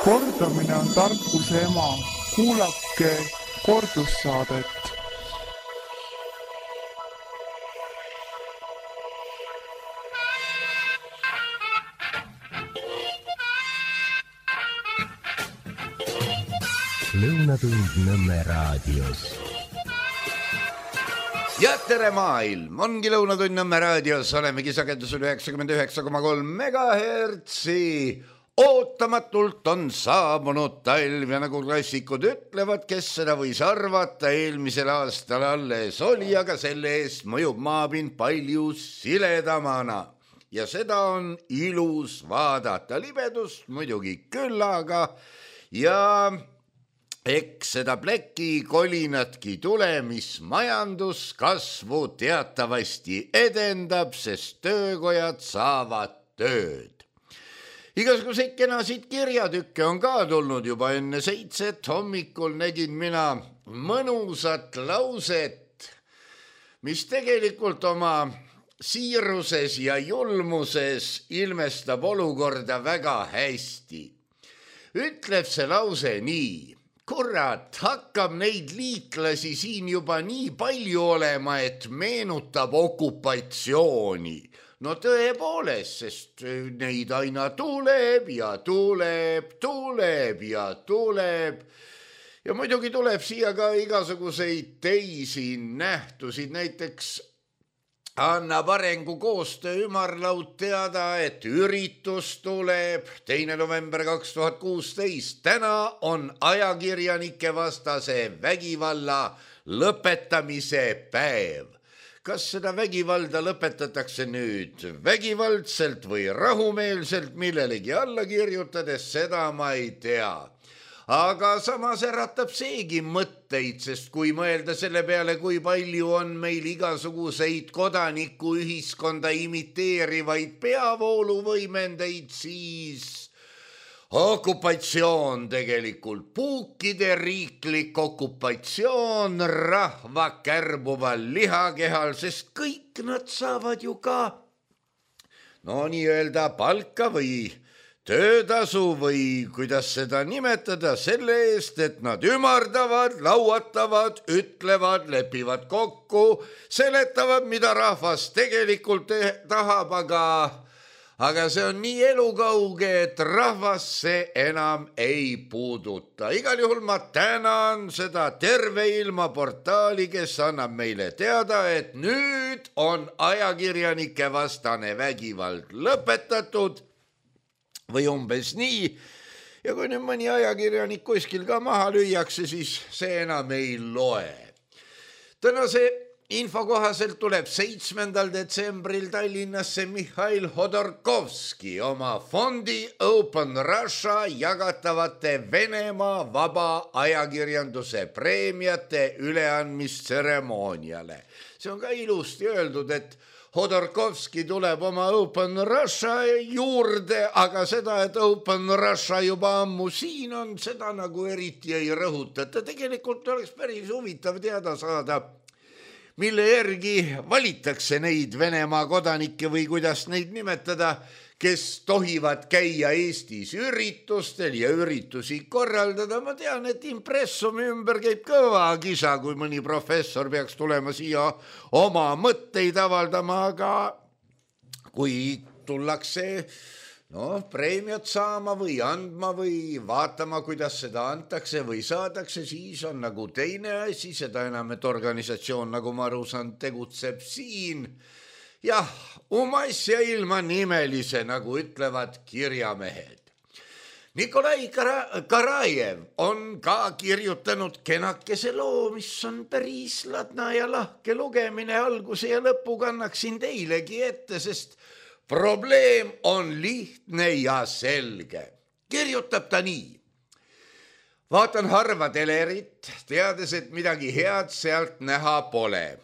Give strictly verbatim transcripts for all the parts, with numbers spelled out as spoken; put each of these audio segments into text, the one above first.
Kordamine on tarkuse ema. Kuulake kordussaadet. Lõunatund Nõmme raadios. Ja tere maailm, ongi Lõunatund Nõmme raadios, olemegi sagedusel üheksakümmend üheksa koma kolm megahertsi. Ootamatult on saabunud talv ja nagu klassikud ütlevad, kes seda võis arvata, eelmisel aastal alles oli, aga selle eest mõjub maapind palju siledamana. Ja seda on ilus vaadata, libedust muidugi küll, aga ja eks seda pleki kolinatki tule, mis majanduskasvu teatavasti edendab, sest töökojad saavad tööd. Igasuguseid kenasid kirjatükke on ka tulnud juba enne seitset, hommikul nägin mina mõnusat lauset, mis tegelikult oma siiruses ja julmuses ilmestab olukorda väga hästi. Ütleb see lause nii: kurat, hakkab neid liitlasi siin juba nii palju olema, et meenutab okupatsiooni. No tõepoolest, sest neid aina tuleb ja tuleb, tuleb ja tuleb. Ja muidugi tuleb siia ka igasuguseid teisi nähtusid, näiteks annab arengukoostöö ümarlaud teada, et üritus tuleb teine november kaks tuhat kuusteist. Täna on ajakirjanike vastase vägivalla lõpetamise päev. Kas seda vägivalda lõpetatakse nüüd vägivaldselt või rahumeelselt millelegi alla kirjutades, seda ma ei tea. Aga samas äratab seegi mõtteid, sest kui mõelda selle peale, kui palju on meil igasuguseid kodanikuühiskonda imiteerivaid peavooluvõimendeid, siis okupatsioon tegelikult, puukide riiklik okupatsioon rahva kärbuval lihakehal, sest kõik nad saavad ju ka no nii-öelda palka või töötasu või kuidas seda nimetada selle eest, et nad ümardavad, lauatavad, ütlevad, lepivad kokku, seletavad, mida rahvas tegelikult tahab, aga Aga see on nii elukauge, et rahvas see enam ei puuduta. Igal juhul ma tänan seda terve ilma portaali, kes annab meile teada, et nüüd on ajakirjanike vastane vägivald lõpetatud või umbes nii. Ja kui nüüd mõni ajakirjanik kuskil ka maha lüüakse, siis see enam ei loe. Tänase info kohaselt tuleb seitsmendal detsembril Tallinnasse Mihhail Hodorkovski oma fondi Open Russia jagatavate Venemaa vaba ajakirjanduse preemiate üleandmistseremooniale. See on ka ilusti öeldud, et Hodorkovski tuleb oma Open Russia juurde, aga seda, et Open Russia juba ammu siin on, seda nagu eriti ei rõhutata. Tegelikult oleks päris huvitav teada saada, mille järgi valitakse neid Venemaa kodanikke või kuidas neid nimetada, kes tohivad käia Eestis üritustel ja üritusi korraldada. Ma tean, et impressumi ümber käib kõva kisa, kui mõni professor peaks tulema siia oma mõtteid avaldama, aga kui tullakse no, preemiat saama või andma või vaatama, kuidas seda antakse või saadakse, siis on nagu teine asi, seda enam, et organisatsioon, nagu ma aru saan, tegutseb siin. Jah, umas ja ilma nimelise, nagu ütlevad kirjamehed. Nikolai Karajev on ka kirjutanud kenakese loo, mis on päris ladna ja lahke lugemine, alguse ja lõpu kannaksin teilegi ette, sest probleem on lihtne ja selge. Kirjutab ta nii. Vaatan harva telerit, teades, et midagi head sealt näha pole.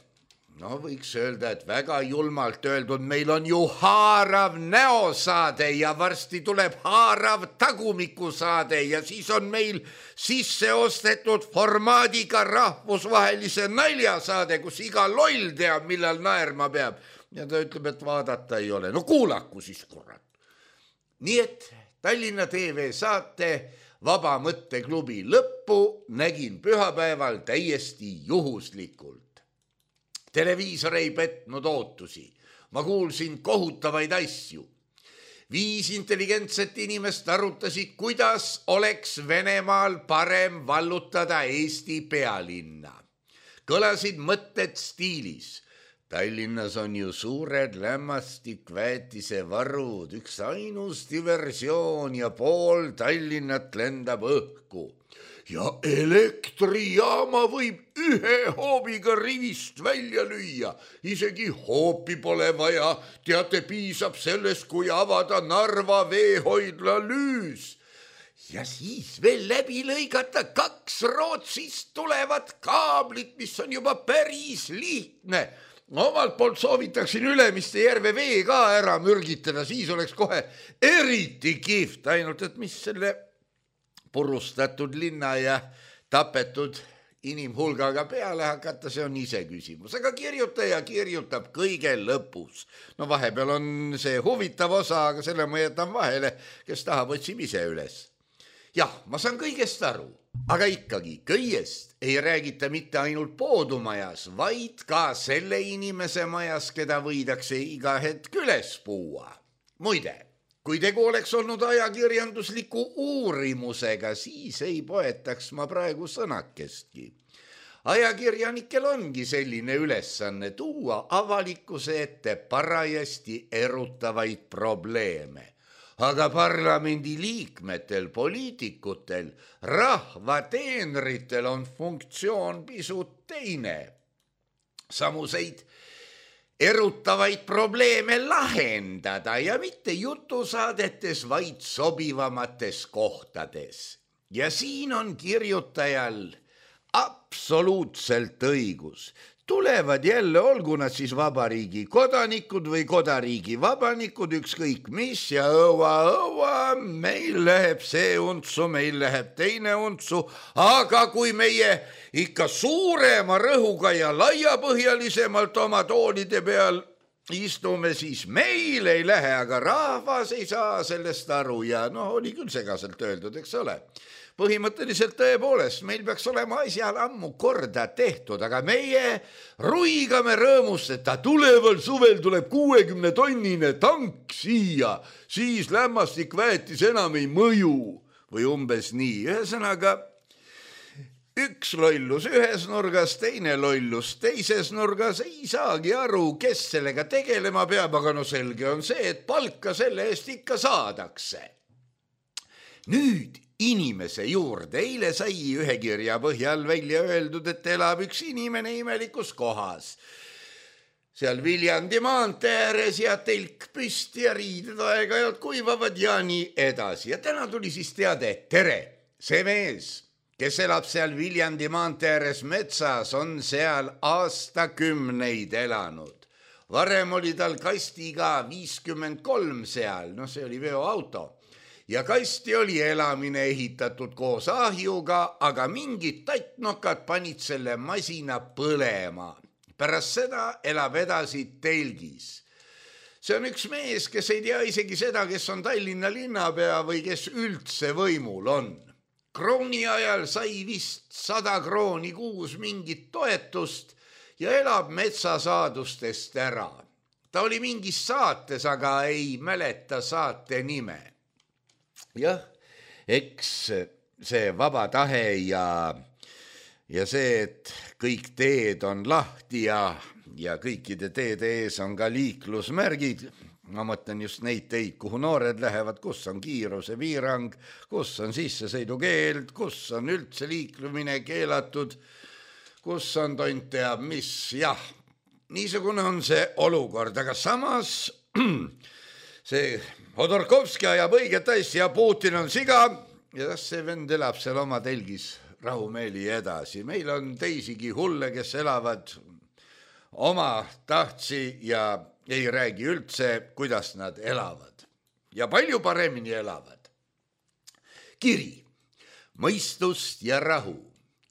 No võiks öelda, et väga julmalt öeldud, meil on ju haarav näosaade ja varsti tuleb haarav tagumikusaade ja siis on meil sisse ostetud formaadiga rahvusvahelise naljasaade, kus iga loll teab, millal naerma peab. Ja ta ütleb, et vaadata ei ole. No kuulaku siis, kurat. Nii et Tallinna T V saate Vaba mõtteklubi lõppu nägin pühapäeval täiesti juhuslikult. Televiisor ei petnud ootusi. Ma kuulsin kohutavaid asju. Viis intelligentset inimest arutasid, kuidas oleks Venemaal parem vallutada Eesti pealinna. Kõlasid mõtted stiilis. Tallinnas on ju suured lämmastikväetise varud, üks ainus diversioon ja pool Tallinnat lendab õhku. Ja elektrijaama võib ühe hoobiga rivist välja lüüa. Isegi hoopi pole vaja. Teate, piisab sellest, kui avada Narva veehoidla lüüs. Ja siis veel läbi lõigata kaks Rootsist tulevat kaablit, mis on juba päris lihtne. Omalt poolt soovitaksin Ülemiste järve vee ka ära mürgitada, siis oleks kohe eriti kihvt, ainult et mis selle purustatud linna ja tapetud inimhulgaga peale hakata, see on ise küsimus. Aga kirjutaja kirjutab kõige lõpus. No vahepeal on see huvitav osa, aga selle ma jätan vahele, kes tahab, otsib ise üles. Jah, ma saan kõigest aru, aga ikkagi kõigest ei räägita mitte ainult poodumajas, vaid ka selle inimese majas, keda võidakse iga hetk üles puua. Muide, kui tegu oleks olnud ajakirjandusliku uurimusega, siis ei poetaks ma praegu sõnakestki. Ajakirjanikel ongi selline ülesanne tuua avalikkuse ette parajasti erutavaid probleeme. Aga parlamendi liikmetel, poliitikutel, rahva teenritel on funktsioon pisut teine. Samuseid erutavaid probleeme lahendada ja mitte jutusaadetes, vaid sobivamates kohtades. Ja siin on kirjutajal absoluutselt õigus. Tulevad jälle, olgu nad siis vabariigi kodanikud või kodariigi vabanikud, ükskõik mis ja õua, õua, meil läheb see untsu, meil läheb teine untsu, aga kui meie ikka suurema rõhuga ja laiapõhjalisemalt oma toolide peal istume, siis meil ei lähe, aga rahvas ei saa sellest aru ja noh, oli küll segaselt öeldud, eks ole. Põhimõtteliselt tõepoolest, meil peaks olema asjal ammu korda tehtud, aga meie ruigame rõõmust, et ta tuleval suvel tuleb kuuekümne tonnine tank siia, siis lämmastik väetis enam ei mõju või umbes nii. Ühesõnaga, üks lollus ühes nurgas, teine lollus teises nurgas, ei saagi aru, kes sellega tegelema peab, aga no selge on see, et palka selle eest ikka saadakse. Nüüd inimese juurde. Eile sai ühe kirja põhjal välja öeldud, et elab üks inimene imelikus kohas. Seal Viljandi maantee ääres ja telk püsti ja riided aeg-ajalt kuivavad ja nii edasi. Ja täna tuli siis teade, tere, see mees, kes elab seal Viljandi maantee ääres metsas, on seal aastakümneid elanud. Varem oli tal kastiga viiskümmend kolm seal, no see oli veoauto. Ja kasti oli elamine ehitatud koos ahjuga, aga mingid tattnokad panid selle masina põlema. Pärast seda elab edasi telgis. See on üks mees, kes ei tea isegi seda, kes on Tallinna linnapea või kes üldse võimul on. Krooni ajal sai vist sada krooni kuus mingit toetust ja elab metsasaadustest ära. Ta oli mingis saates, aga ei mäleta saate nime. Jah, eks see vaba tahe ja, ja see, et kõik teed on lahti ja, ja kõikide teede ees on ka liiklusmärgid. Ma mõtlen just neid teid, kuhu noored lähevad, kus on kiiruse piirang, kus on sissesõidukeeld, kus on üldse liiklumine keelatud, kus on tont teab mis. Jah, niisugune on see olukord, aga samas see Hodorkovski ajab õiget asja, Putin on siga ja see vend elab seal oma telgis rahumeeli edasi. Meil on teisigi hulle, kes elavad oma tahtsi ja ei räägi üldse, kuidas nad elavad. Ja palju paremini elavad. Kiri, mõistust ja rahu.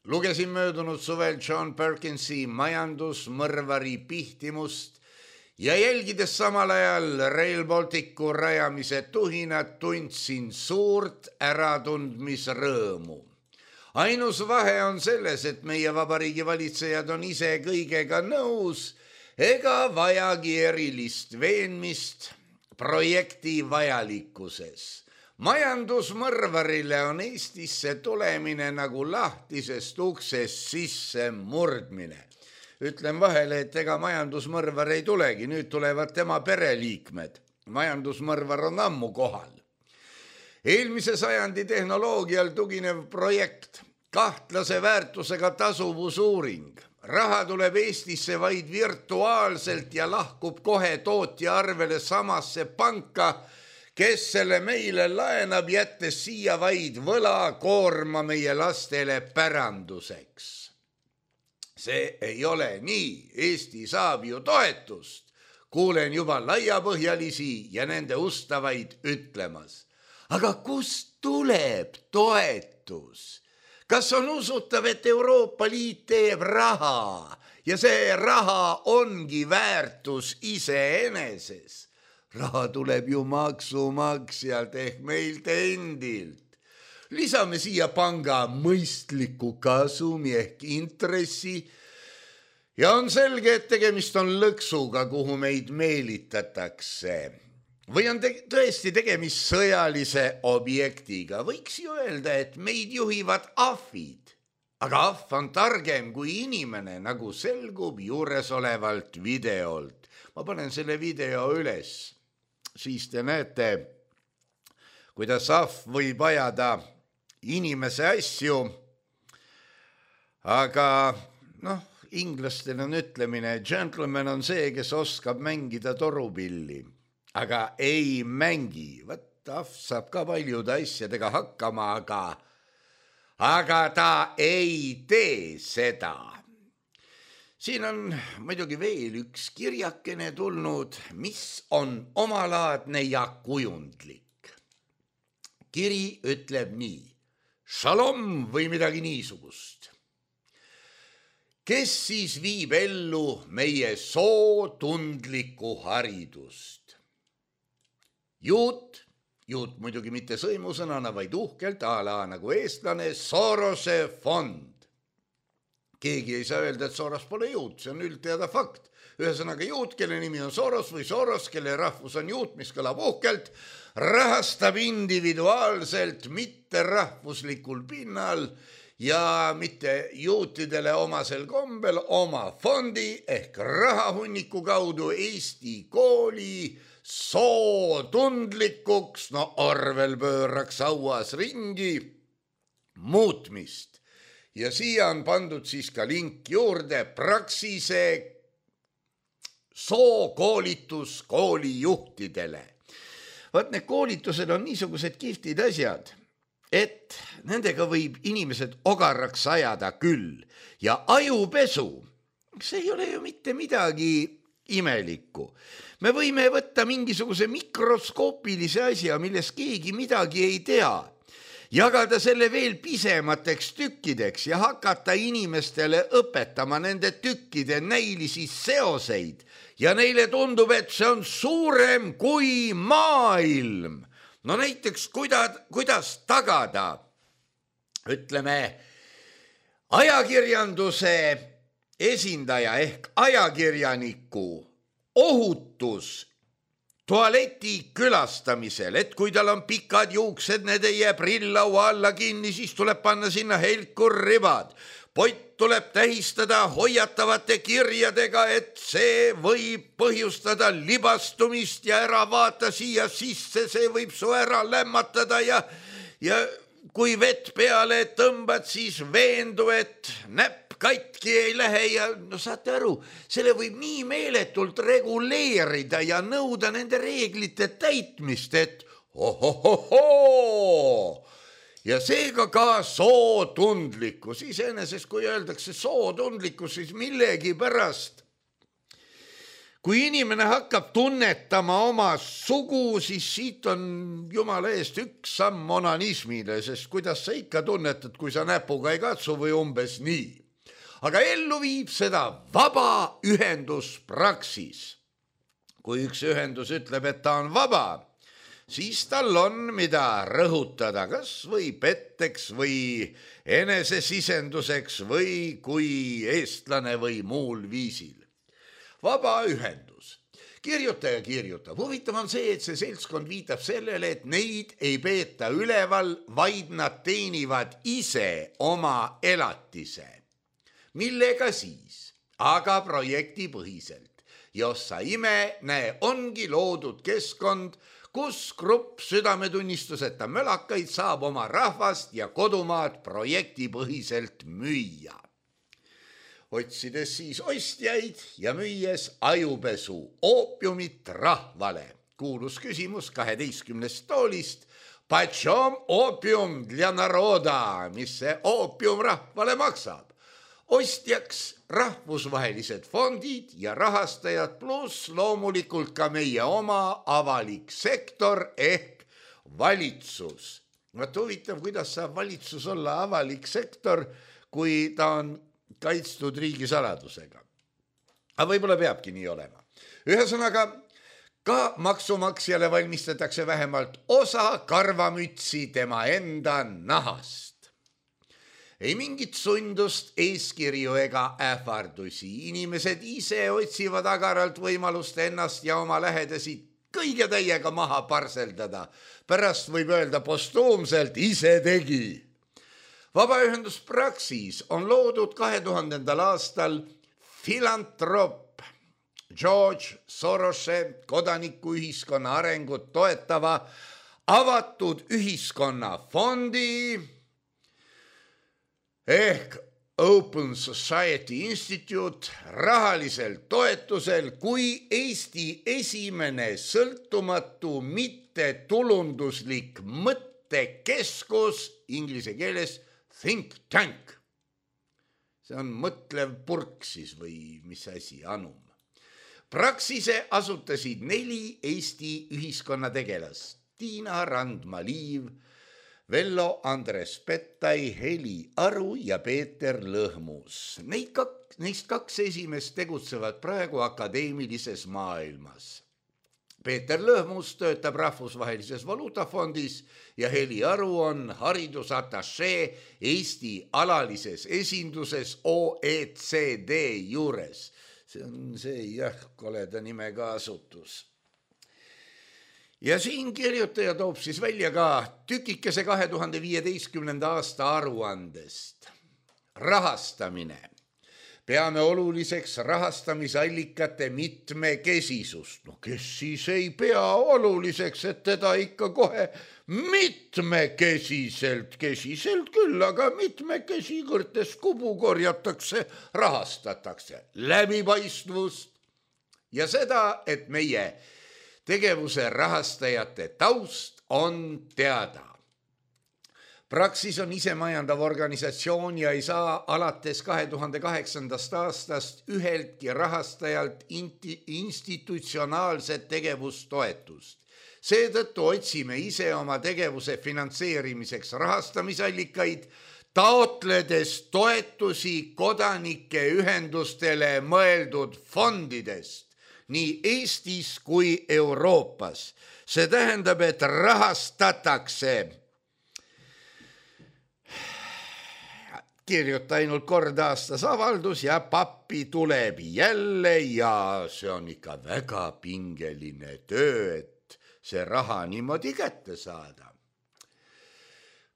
Lugesin möödunud suvel John Perkinsi majandusmõrvari pihtimust ja jälgides samal ajal Rail Balticu rajamise tuhinat tundsin suurt äratundmisrõõmu. Ainus vahe on selles, et meie vabariigi valitsejad on ise kõigega nõus ega vajagi erilist veenmist projekti vajalikkuses. Majandusmõrvarile on Eestisse tulemine nagu lahtisest uksest sisse murdmine. Ütlen vahele, et ega majandusmõrvar ei tulegi, nüüd tulevad tema pereliikmed. Majandusmõrvar on ammu kohal. Eelmise sajandi tehnoloogial tuginev projekt, kahtlase väärtusega tasuvusuuring. Raha tuleb Eestisse vaid virtuaalselt ja lahkub kohe tootja arvele samasse panka, kes selle meile laenab, jättes siia vaid võla koorma meie lastele päranduseks. See ei ole nii, Eesti saab ju toetust. Kuulen juba laiapõhjalisi ja nende ustavaid ütlemas. Aga kust tuleb toetus? Kas on usutav, et Euroopa Liit teeb raha ja see raha ongi väärtus iseeneses? Raha tuleb ju maksumaksjalt ehk meilt endilt. Lisame siia panga mõistliku kasumi ehk intressi ja on selge, et tegemist on lõksuga, kuhu meid meelitatakse. Või on te- tõesti tegemist sõjalise objektiga. Võiks ju öelda, et meid juhivad ahvid. Aga ahv on targem kui inimene, nagu selgub juures olevalt videolt. Ma panen selle video üles. Siis te näete, kuidas ahv võib ajada inimese asju. Aga noh, inglastel on ütlemine, gentleman on see, kes oskab mängida torupilli. Aga ei mängi. Võt, ahv saab ka paljude asjadega hakkama, aga, aga ta ei tee seda. Siin on muidugi veel üks kirjakene tulnud, mis on omalaadne ja kujundlik. Kiri ütleb nii, šalom või midagi niisugust. Kes siis viib ellu meie sootundlikku haridust? Juut, juut muidugi mitte sõimusõnana, vaid uhkelt ala nagu eestlane, Sorose fond. Keegi ei saa öelda, et Soros pole juut, see on üldteada fakt. Ühesõnaga juut, kelle nimi on Soros või Soros, kelle rahvus on juut, mis kõlab uhkelt, rahastab individuaalselt, mitte rahvuslikul pinnal ja mitte juutidele omasel kombel oma fondi ehk rahahunniku kaudu Eesti kooli sootundlikuks, no Orwell pööraks auas ringi, muutmist. Ja siia on pandud siis ka link juurde Praxise sookoolitus koolijuhtidele. Vaat need koolitused on niisugused kihvtid asjad, et nendega võib inimesed ogaraks ajada küll. Ja ajupesu, see ei ole ju mitte midagi imelikku. Me võime võtta mingisuguse mikroskoopilise asja, milles keegi midagi ei tea, jagada selle veel pisemateks tükkideks ja hakata inimestele õpetama nende tükkide näilisi seoseid ja neile tundub, et see on suurem kui maailm. No näiteks kuidas, kuidas tagada, ütleme, ajakirjanduse esindaja ehk ajakirjaniku ohutus tualeti külastamisel, et kui tal on pikad juuksed, need ei jää prillaua alla kinni, siis tuleb panna sinna helkurribad. Pott tuleb tähistada hoiatavate kirjadega, et see võib põhjustada libastumist ja ära vaata siia sisse, see võib su ära lämmatada ja, ja kui vett peale tõmbad, siis veendu, et näpp katki ei lähe ja no saate aru, selle võib nii meeletult reguleerida ja nõuda nende reeglite täitmist, et ohohohoo. Ja seega ka sootundlikkus. Iseenesest, kui öeldakse sootundlikkus, siis millegi pärast. Kui inimene hakkab tunnetama oma sugu, siis siit on jumala eest üks samm onanismile, sest kuidas sa ikka tunnetad, kui sa näpuga ei katsu või umbes nii. Aga ellu viib seda vaba ühendus Praxis. kui üks ühendus ütleb, et ta on vaba, siis tal on mida rõhutada, kas või petteks või enesesisenduseks või kui eestlane või muul viisil. Vaba ühendus. Kirjutaja kirjutab. Huvitav on see, et see seltskond viitab sellele, et neid ei peeta üleval, vaid nad teenivad ise oma elatise. Millega siis? Aga projektipõhiselt. Jossa ime, näe, ongi loodud keskkond, kus grupp südametunnistuseta mölakaid saab oma rahvast ja kodumaad projektipõhiselt müüa. Otsides siis ostjaid ja müües ajupesu oopiumit rahvale. Kuulus küsimus kaheteistkümnest toolist. Почем oopium для народа, mis see oopium rahvale maksab? Ostjaks rahvusvahelised fondid ja rahastajad pluss loomulikult ka meie oma avalik sektor ehk valitsus. Vaat huvitav, kuidas saab valitsus olla avalik sektor, kui ta on kaitstud riigisaladusega. Aga võib-olla peabki nii olema. Ühesõnaga, ka maksumaksjale valmistatakse vähemalt osa karvamütsi tema enda nahast. Ei mingit sundust, eeskirju ega ähvardusi. Inimesed ise otsivad agaralt võimalust ennast ja oma lähedasi kõige täiega maha parseldada. Pärast võib öelda postuumselt ise tegi. Vabaühendus Praxis on loodud kahe tuhandendal aastal filantroop George Sorose kodanikuühiskonna arengut toetava avatud ühiskonna fondi ehk Open Society Institute rahalisel toetusel kui Eesti esimene sõltumatu mittetulunduslik mõttekeskus inglise keeles think tank. See on mõtlev purk siis või mis asi, anum. Praxise asutasid neli Eesti ühiskonna tegelast. Tiina Randma-Liiv, Vello Andres Pettai, Heli Aru ja Peeter Lõhmus. Neid kaks, neist kaks esimest tegutsevad praegu akadeemilises maailmas. Peeter Lõhmus töötab rahvusvahelises valuutafondis ja Heli Aru on haridusatašee Eesti alalises esinduses O E C D juures. See on see jah, koleda nimega asutus. Ja siin kirjutaja toob siis välja ka tükikese kahe tuhande viieteistkümnenda aasta aruandest. Rahastamine. Peame oluliseks rahastamisallikate mitmekesisust. No kes siis ei pea oluliseks, et teda ikka kohe mitmekesiselt, kesiselt küll, aga mitmekesi kõrtes kubu korjatakse, rahastatakse. Läbipaistvust ja seda, et meie tegevuse rahastajate taust on teada. Praxis on isemajandav organisatsioon ja ei saa alates kahe tuhande kaheksandast aastast üheltki rahastajalt institutsionaalset tegevustoetust. Seetõttu otsime ise oma tegevuse finantseerimiseks rahastamisallikaid, taotledes toetusi kodanike ühendustele mõeldud fondidest, nii Eestis kui Euroopas. See tähendab, et rahastatakse kirjuta ainult kord aastas avaldus ja pappi tuleb jälle ja see on ikka väga pingeline töö, et see raha niimoodi kätte saada.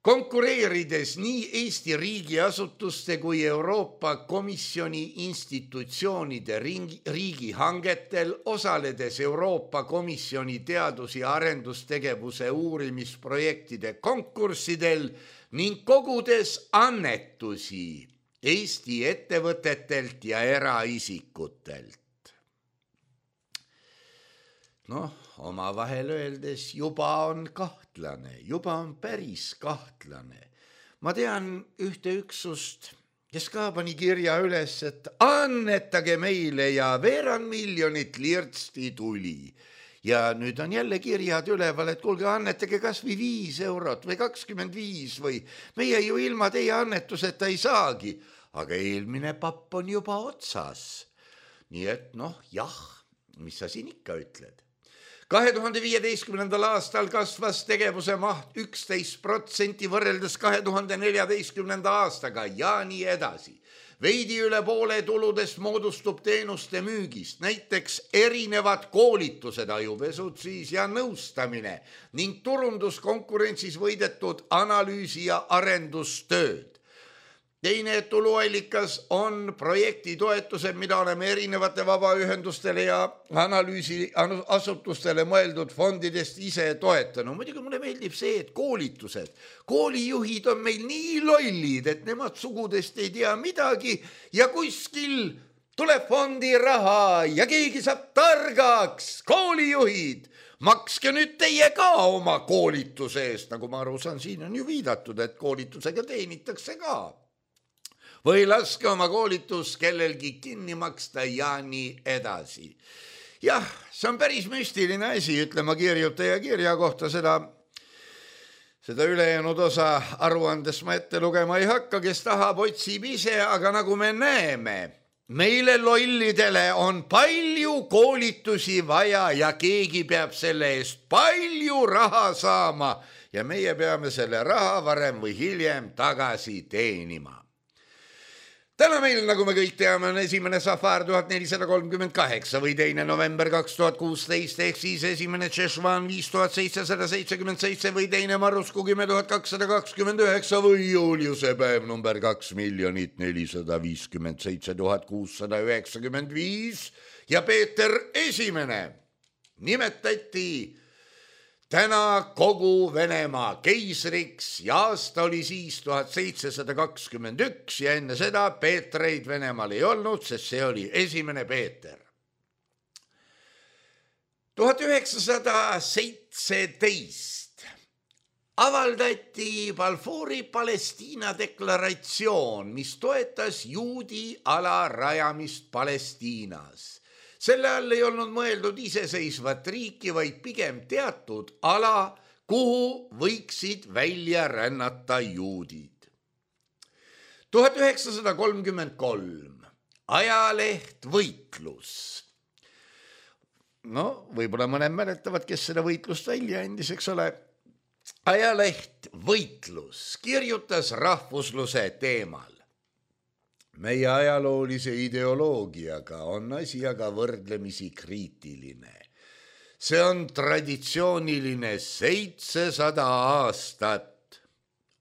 Konkureerides nii Eesti riigiasutuste kui Euroopa Komisjoni institutsioonide riigihangetel, osaledes Euroopa Komisjoni teadus- ja arendustegevuse uurimisprojektide konkurssidel ning kogudes annetusi Eesti ettevõtetelt ja eraisikutelt. Noh, omavahel öeldes juba on kahtlane, juba on päris kahtlane. Ma tean ühte üksust, kes ka pani kirja üles, et annetage meile ja veerand miljonit lirtsti tuli. Ja nüüd on jälle kirjad üleval, et kuulge, annetage kas või viis eurot või kakskümmend viis või meie ju ilma teie annetuseta ei saagi, aga eelmine papp on juba otsas. Nii et noh, jah, mis sa siin ikka ütled? kahe tuhande viieteistkümnendal aastal kasvas tegevuse maht üksteist protsenti võrreldes kahe tuhande neljateistkümnenda aastaga ja nii edasi. Veidi üle poole tuludest moodustub teenuste müügist, näiteks erinevad koolitused, ajupesud siis ja nõustamine ning turunduskonkurentsis võidetud analüüsi- ja arendustööd. Teine tuluallikas on projektitoetused, mida oleme erinevate vabaühendustele ja analüüsiasutustele mõeldud fondidest ise toetanud. Muidugi mulle meeldib see, et koolitused. Koolijuhid on meil nii lollid, et nemad sugudest ei tea midagi ja kuskil tuleb fondi raha ja keegi saab targaks. Koolijuhid, makske nüüd teie ka oma koolituse eest. Nagu ma aru saan, siin on ju viidatud, et koolitusega teenitakse ka. Või laske oma koolitus kellelgi kinni maksta ja nii edasi. Jah, see on päris müstiline asi, ütlema kirjutaja kirja kohta seda, seda ülejäänud osa aruandes ma ette lugema ei hakka, kes tahab, otsib ise, aga nagu me näeme, meile lollidele on palju koolitusi vaja ja keegi peab selle eest palju raha saama ja meie peame selle raha varem või hiljem tagasi teenima. Täna meil, nagu me kõik teame, on esimene Safar tuhat nelisada kolmkümmend kaheksa või teine november kaks tuhat kuusteist ehk siis esimene Tšešvan viis tuhat seitsesada seitsekümmend seitse või teine Marusku kümme tuhat kakssada kakskümmend üheksa või Juliuse päev number kaks miljonit nelisada viiskümmend seitse tuhat kuussada üheksakümmend viis ja Peeter esimene nimetati täna kogu Venemaa keisriks ja aasta oli siis tuhat seitsesada kakskümmend üks ja enne seda Peetreid Venemaal ei olnud, sest see oli esimene Peeter. tuhat üheksasada seitseteist avaldati Balfouri Palestiina deklaratsioon, mis toetas juudi ala rajamist Palestiinas. Selle all ei olnud mõeldud iseseisvat riiki, vaid pigem teatud ala, kuhu võiksid välja rännata juudid. tuhat üheksasada kolmkümmend kolm ajaleht Võitlus. No, võib-olla mõned mäletavad, kes seda võitlust välja andis, eks ole. Ajaleht Võitlus kirjutas rahvusluse teemal. Meie ajaloolise ideoloogiaga on asi aga võrdlemisi kriitiline. See on traditsiooniline seitsesada aastat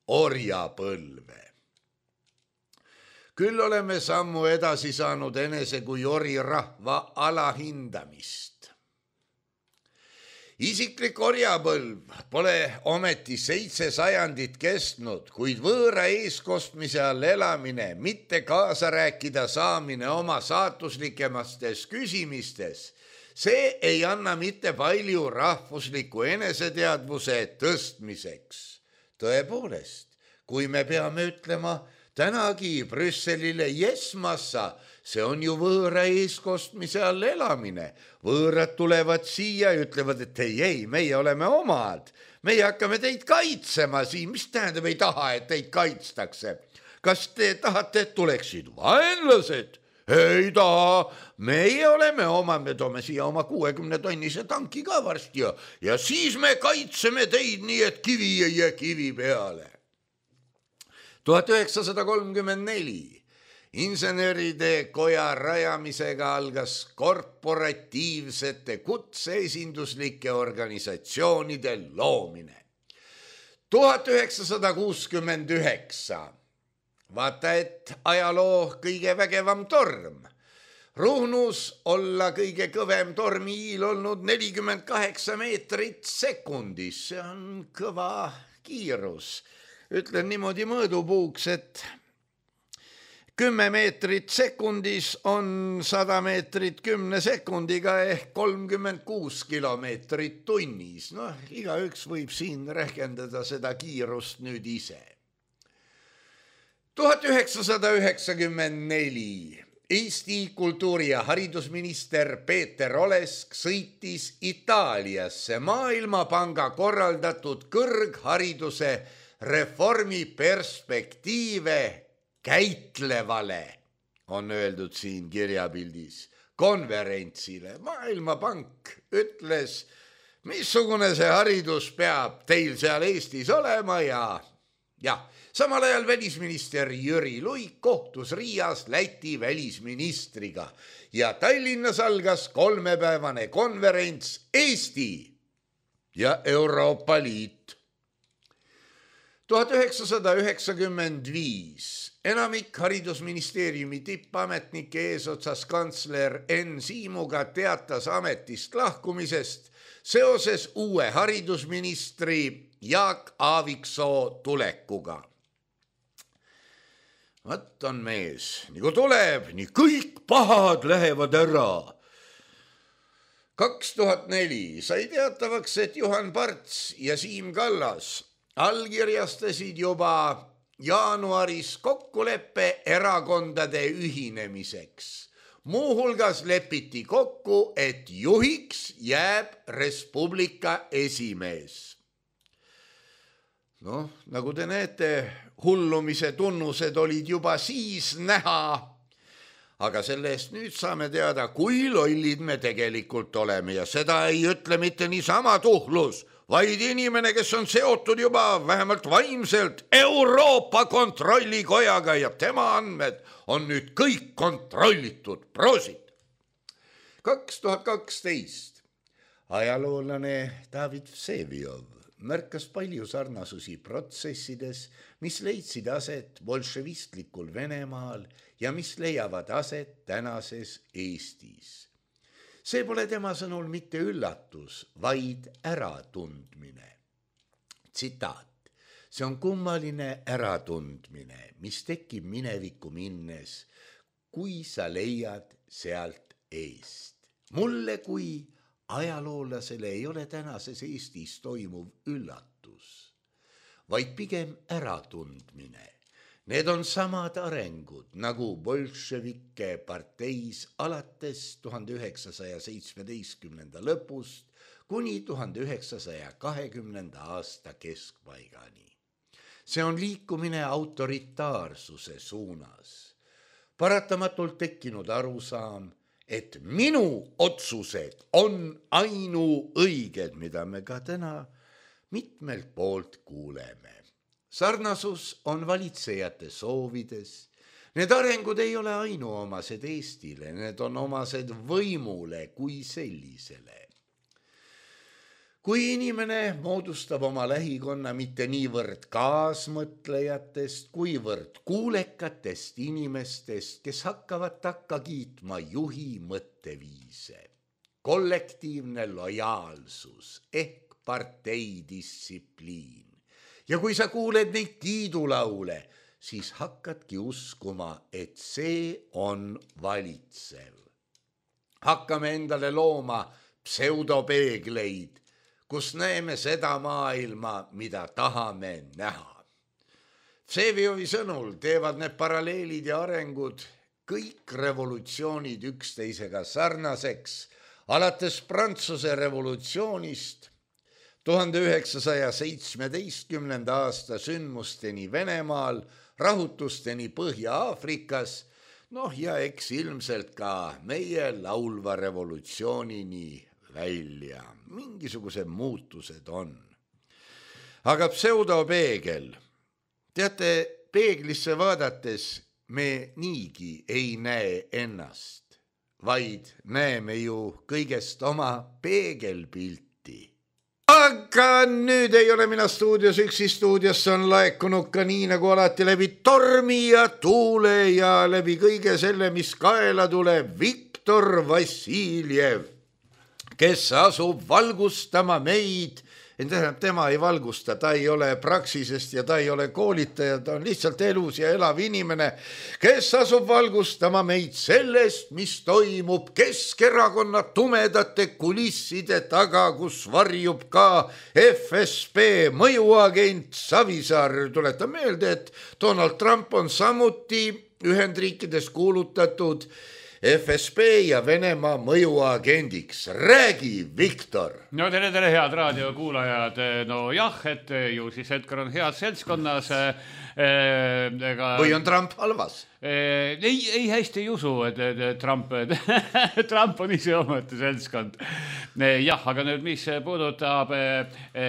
orjapõlve. Küll oleme sammu edasi saanud enese kui orirahva alahindamist. Isiklik orjapõlv pole ometi seitse sajandit kestnud, kuid võõra eeskostmise all elamine, mitte kaasa rääkida saamine oma saatuslikemates küsimistes, see ei anna mitte palju rahvusliku eneseteadvuse tõstmiseks. Tõepoolest, kui me peame ütlema tänagi Brüsselile jesmassa, see on ju võõra eeskostmise all elamine. Võõrad tulevad siia ja ütlevad, et ei, ei, meie oleme omad. Meie hakkame teid kaitsema siin. Mis tähendab ei taha, et teid kaitstakse? Kas te tahate, et tuleksid vaenlased? Ei taha. Meie oleme omad, me toome siia oma kuuekümne tonnise tanki ka varsti ja, ja siis me kaitseme teid nii, et kivi ei jää kivi peale. tuhat üheksasada kolmkümmend neli inseneride koja rajamisega algas korporatiivsete kutseesinduslike organisatsioonide loomine. tuhat üheksasada kuuskümmend üheksa vaata, et ajaloo kõige vägevam torm. Ruhnus olla kõige kõvem tormiil olnud nelikümmend kaheksa meetrit sekundis. See on kõva kiirus. Ütlen niimoodi mõõdupuuks, et kümme meetrit sekundis on sada meetrit kümne sekundiga ehk kolmkümmend kuus kilomeetrit tunnis. Noh, igaüks võib siin rehkendada seda kiirust nüüd ise. tuhat üheksasada üheksakümmend neli Eesti kultuuri- ja haridusminister Peeter Olesk sõitis Itaaliasse Maailmapanga korraldatud kõrghariduse reformi perspektiive käitlevale, on öeldud siin kirjapildis, konverentsile. Maailmapank ütles, missugune see haridus peab teil seal Eestis olema ja ja samal ajal välisminister Jüri Luik kohtus Riias Läti välisministriga ja Tallinnas algas kolmepäevane konverents Eesti ja Euroopa Liit. tuhat üheksasada üheksakümmend viis enamik haridusministeeriumi tippametnike eesotsas kantsler Enn Siimuga teatas ametist lahkumisest seoses uue haridusministri Jaak Aaviksoo tulekuga. Võt on mees, nii kui tuleb, nii kõik pahad lähevad ära. kaks tuhat neli sai teatavaks, et Juhan Parts ja Siim Kallas allkirjastasid juba jaanuaris kokkuleppe erakondade ühinemiseks. Muuhulgas lepiti kokku, et juhiks jääb Res Publica esimees. Noh, nagu te näete, hullumise tunnused olid juba siis näha, aga selle eest nüüd saame teada, kui lollid me tegelikult oleme ja seda ei ütle mitte niisama tuhlus, vaid inimene, kes on seotud juba vähemalt vaimselt Euroopa kontrollikojaga ja tema andmed on nüüd kõik kontrollitud. Prosit! kaks tuhat kaksteist ajaloolane David Vseviov märkas palju sarnasusi protsessides, mis leidsid aset bolševistlikul Venemaal ja mis leiavad aset tänases Eestis. See pole tema sõnul mitte üllatus, vaid äratundmine. Tsitaat. See on kummaline äratundmine, mis tekib minevikku minnes, kui sa leiad sealt eest. Mulle kui ajaloolasele ei ole tänases Eestis toimuv üllatus, vaid pigem äratundmine. Need on samad arengud, nagu bolševike parteis alates tuhande üheksasaja seitsmeteistkümnenda lõpust kuni tuhande üheksasaja kahekümnenda aasta keskpaigani. See on liikumine autoritaarsuse suunas. Paratamatult tekkinud arusaam, et minu otsused on ainuõiged, mida me ka täna mitmelt poolt kuuleme. Sarnasus on valitsejate soovides. Need arengud ei ole ainuomased Eestile, need on omased võimule kui sellisele. Kui inimene moodustab oma lähikonna mitte niivõrd kaasmõtlejatest, kuivõrd kuulekatest inimestest, kes hakkavad takka kiitma juhi mõtteviise. Kollektiivne lojaalsus ehk parteidistsipliin. Ja kui sa kuuled neid kiidulaule, siis hakkadki uskuma, et see on valitsev. Hakkame endale looma pseudopeegleid, kus näeme seda maailma, mida tahame näha. Vseviovi sõnul teevad need paralleelid ja arengud kõik revolutsioonid üksteisega sarnaseks, alates Prantsuse revolutsioonist tuhande üheksasaja seitsmeteistkümnenda aasta sündmusteni Venemaal, rahutusteni Põhja-Aafrikas, noh ja eks ilmselt ka meie laulva revolutsioonini välja. Mingisugused muutused on. Aga pseudopeegel. Teate, peeglisse vaadates me niigi ei näe ennast, vaid näeme ju kõigest oma peegelpilti. Aga nüüd ei ole mina stuudios üksi, stuudiosse on laekunud ka nii nagu alati läbi tormi ja tuule ja läbi kõige selle, mis kaela tuleb, Viktor Vassiljev, kes asub valgustama meid. Tähendab, tema ei valgusta, ta ei ole praksisest ja ta ei ole koolitaja, ta on lihtsalt elus ja elav inimene, kes asub valgustama meid sellest, mis toimub Keskerakonna tumedate kulisside taga, kus varjub ka F S B mõjuagent Savisaar. Tuletan meelde, et Donald Trump on samuti Ühendriikides kuulutatud F S B ja Venemaa mõjuagendiks. Räägi, Viktor! No tere, tere, head raadiokuulajad. No jah, et ju siis Edgar on head seltskonnas. Ega... Või on Trump halvas? Ei, ei hästi ei usu, et, et Trump, Trump on ise omete seltskond. Jah, aga nüüd, mis puudutab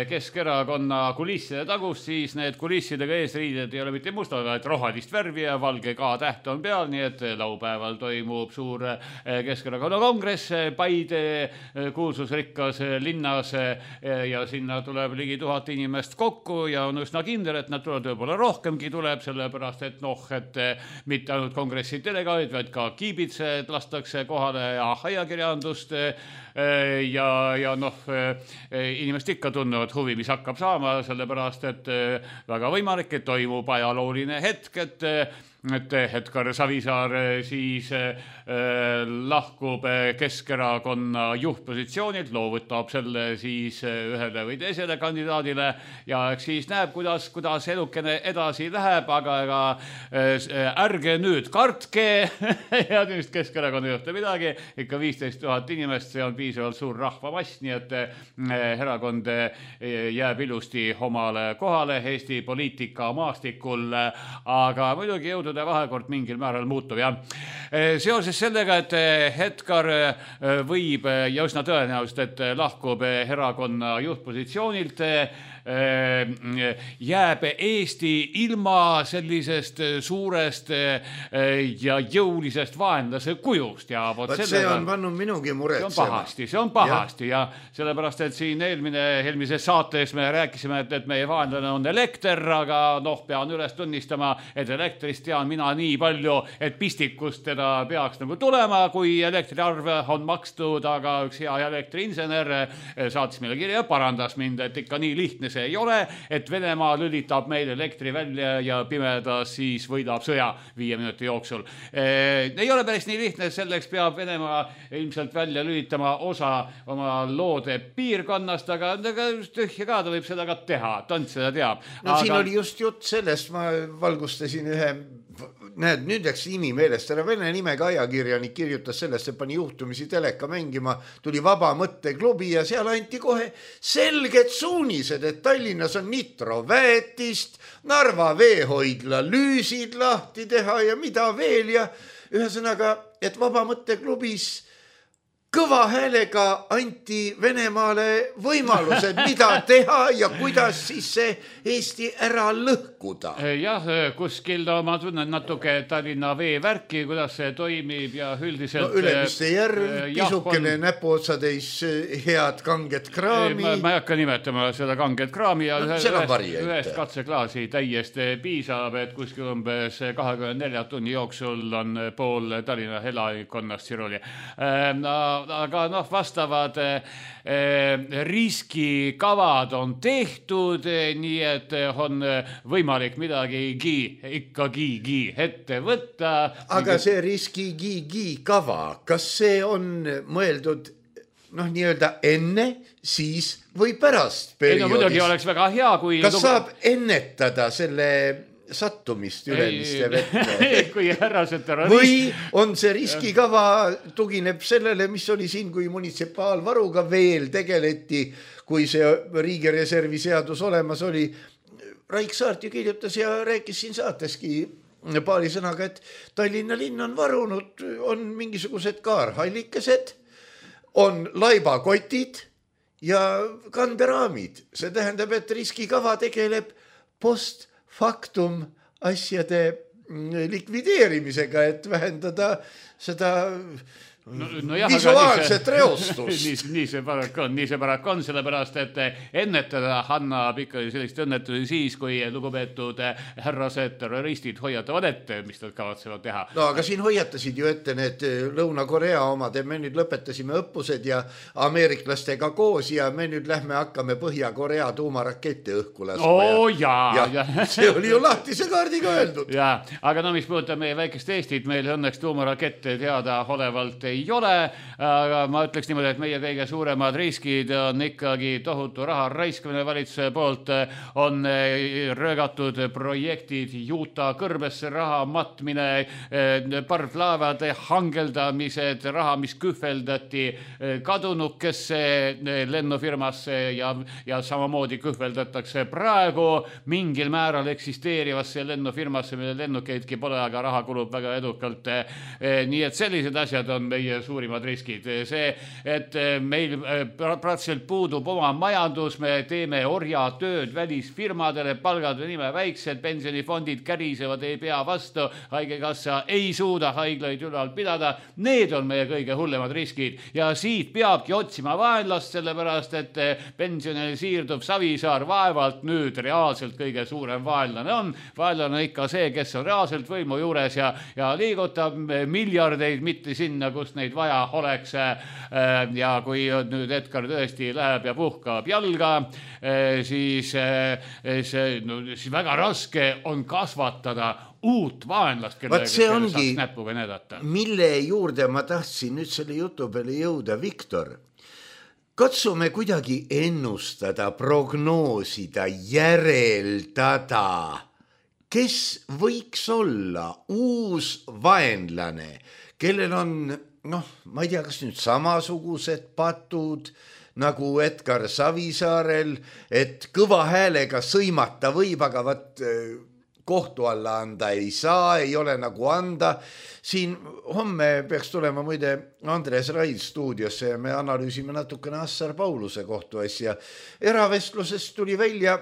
Keskerakonna kulisside tagust, siis need kulissidega eesriided ei ole mitte musta, vaid rohelist värvi ja valge K-täht on peal, nii et laupäeval toimub suur Keskerakonna kongress Paide kuulsusrikkas linnas ja sinna tuleb ligi tuhat inimest kokku ja on üsna kindel, et nad tulevad võib-olla rohkemgi tuleb, sellepärast et noh, et mitte ainult kongressi delegaadid, vaid ka kiibitsed lastakse kohale ja ajakirjandust ja, ja noh, inimesed ikka tunnevad huvi, mis hakkab saama, sellepärast et väga võimalik, et toimub ajalooline hetk, et et Edgar Savisaar siis äh, lahkub Keskerakonna juhtpositsioonilt, loovutab selle siis ühele või teisele kandidaadile ja eks siis näeb, kuidas, kuidas elukene edasi läheb, aga ega äh, ärge nüüd kartke ja nüüd Keskerakonna juhte midagi, ikka viisteist tuhat inimest, see on piisavalt suur rahvamass, nii et äh, erakond jääb ilusti omale kohale Eesti poliitika maastikul, aga muidugi jõudu vahekord mingil määral muutub ja seoses sellega, et Edgar võib ja üsna tõenäoliselt, et lahkub erakonna juhtpositsioonilt, jääb Eesti ilma sellisest suurest ja jõulisest vaenlase kujust ja vot sellega, see on pannud minugi muretsema. See on pahasti, see on pahasti ja, ja sellepärast, et siin eelmine, eelmises saates me rääkisime, et, et meie vaenlane on elekter, aga noh, pean üles tunnistama, et elektrist tean mina nii palju, et pistikust teda peaks nagu tulema, kui elektriarv on makstud, aga üks hea elektriinsener saatis meile kirja ja parandas mind, et ikka nii lihtne see ei ole, et Venemaa lülitab meil elektri välja ja pimedas siis võidab sõja viie minuti jooksul. Ei ole päris nii lihtne, selleks peab Venemaa ilmselt välja lülitama osa oma loode piirkonnast, aga tühja ka ta võib seda ka teha, tont seda teab. No aga... siin oli just jutt sellest, ma valgustasin ühe näed, nüüd läks nimi meelest, ära vene nimega ajakirjanik kirjutas sellest, et pani juhtumisi teleka mängima, tuli Vaba Mõtteklubi ja seal anti kohe selged suunised, et Tallinnas on nitroväetist, Narva veehoidla lüüsid lahti teha ja mida veel ja ühesõnaga, et Vaba Mõtteklubis kõva häälega anti Venemaale võimalused, mida teha ja kuidas siis see Eesti ära lõhkuda. Jah, kuskil ma tunnen natuke Tallinna veevärki, kuidas see toimib ja üldiselt... No Ülemiste järv, pisukene on... näpuotsadeis head kanget kraami. Ma, ma ei hakka nimetama seda kanget kraami ja no, ühest, ühest katseklaasi täiesti piisab, et kuskil umbes kahekümne nelja tunni jooksul on pool Tallinna elanikkonnast siruli. No, aga noh, vastavad eh, riskikavad on tehtud, nii et on võimalik midagigi ikkagigi ette võtta. Aga see riskigigi kava, kas see on mõeldud noh, nii-öelda enne, siis või pärast perioodis? Ei, no muidugi oleks väga hea, kui... Kas saab ennetada selle... sattumist Ülemiste vette. Kui härrased terrorist. Või on see riskikava tugineb sellele, mis oli siin, kui munitsipaalvaruga veel tegeleti, kui see riigireservi seadus olemas oli. Raik Saart ju kirjutas ja rääkis siin saateski paari sõnaga, et Tallinna linn on varunud, on mingisugused kaarhallikesed, on laibakotid ja kanderaamid. See tähendab, et riskikava tegeleb post faktum asjade likvideerimisega, et vähendada seda no, no jah, visuaalset nii reostust. nii, nii see parak on, nii see parak on, sellepärast, et ennetada annab ikka sellist õnnetusi siis, kui lugupeetud härrased terroristid hoiatavad ette, mis nad kavatsevad teha. No aga siin hoiatasid ju ette need Lõuna-Korea omad, me nüüd lõpetasime õppused ja ameeriklastega koos ja me nüüd lähme hakkame Põhja-Korea tuumarakette õhku laskma. Oo jaa, ja, ja. See oli ju lahtise kaardiga öeldud. Ja, aga no mis puudutab meie väikest Eestit, meil õnneks tuumarakette teada olevalt ei ole, aga ma ütleks niimoodi, et meie kõige suuremad riskid on ikkagi tohutu raha raiskamine valitsuse poolt, on röögatud projektid, juuta kõrbesse raha matmine, parvlaevade hangeldamised, raha, mis kühveldati kadunukesse lennufirmasse ja, ja samamoodi kühveldatakse praegu mingil määral eksisteerivasse lennufirmasse, mille lennukeidki pole, aga raha kulub väga edukalt. Nii et sellised asjad on meie suurimad riskid. See, et meil praktiliselt puudub oma majandus, me teeme orjatööd välisfirmadele, palgad on nime väiksed, pensionifondid kärisevad, ei pea vastu, haigekassa ei suuda haiglaid ülal pidada. Need on meie kõige hullemad riskid ja siit peabki otsima vaenlast, sellepärast et pensionil siirduv Savisaar vaevalt nüüd reaalselt kõige suurem vaenlane on. Vaenlane on ikka see, kes on reaalselt võimu juures ja, ja liigutab miljardeid mitte sinna, kus neid vaja oleks. Ja kui nüüd Edgar tõesti läheb ja puhkab jalga, siis, see, no, siis väga raske on kasvatada uut vaenlast, kellega saaks näpuga näidata. Mille juurde ma tahtsin nüüd selle jutu peale jõuda, Viktor? Katsume kuidagi ennustada, prognoosida, järeldada, kes võiks olla uus vaenlane, kellel on, noh, ma ei tea, kas nüüd samasugused patud nagu Edgar Savisaarel, et kõva häälega sõimata võib, aga võt kohtu alla anda ei saa, ei ole nagu anda. Siin homme peaks tulema muide Andres Raid stuudiosse ja me analüüsime natukene Assar Pauluse kohtuasja. Eravestlusest tuli välja,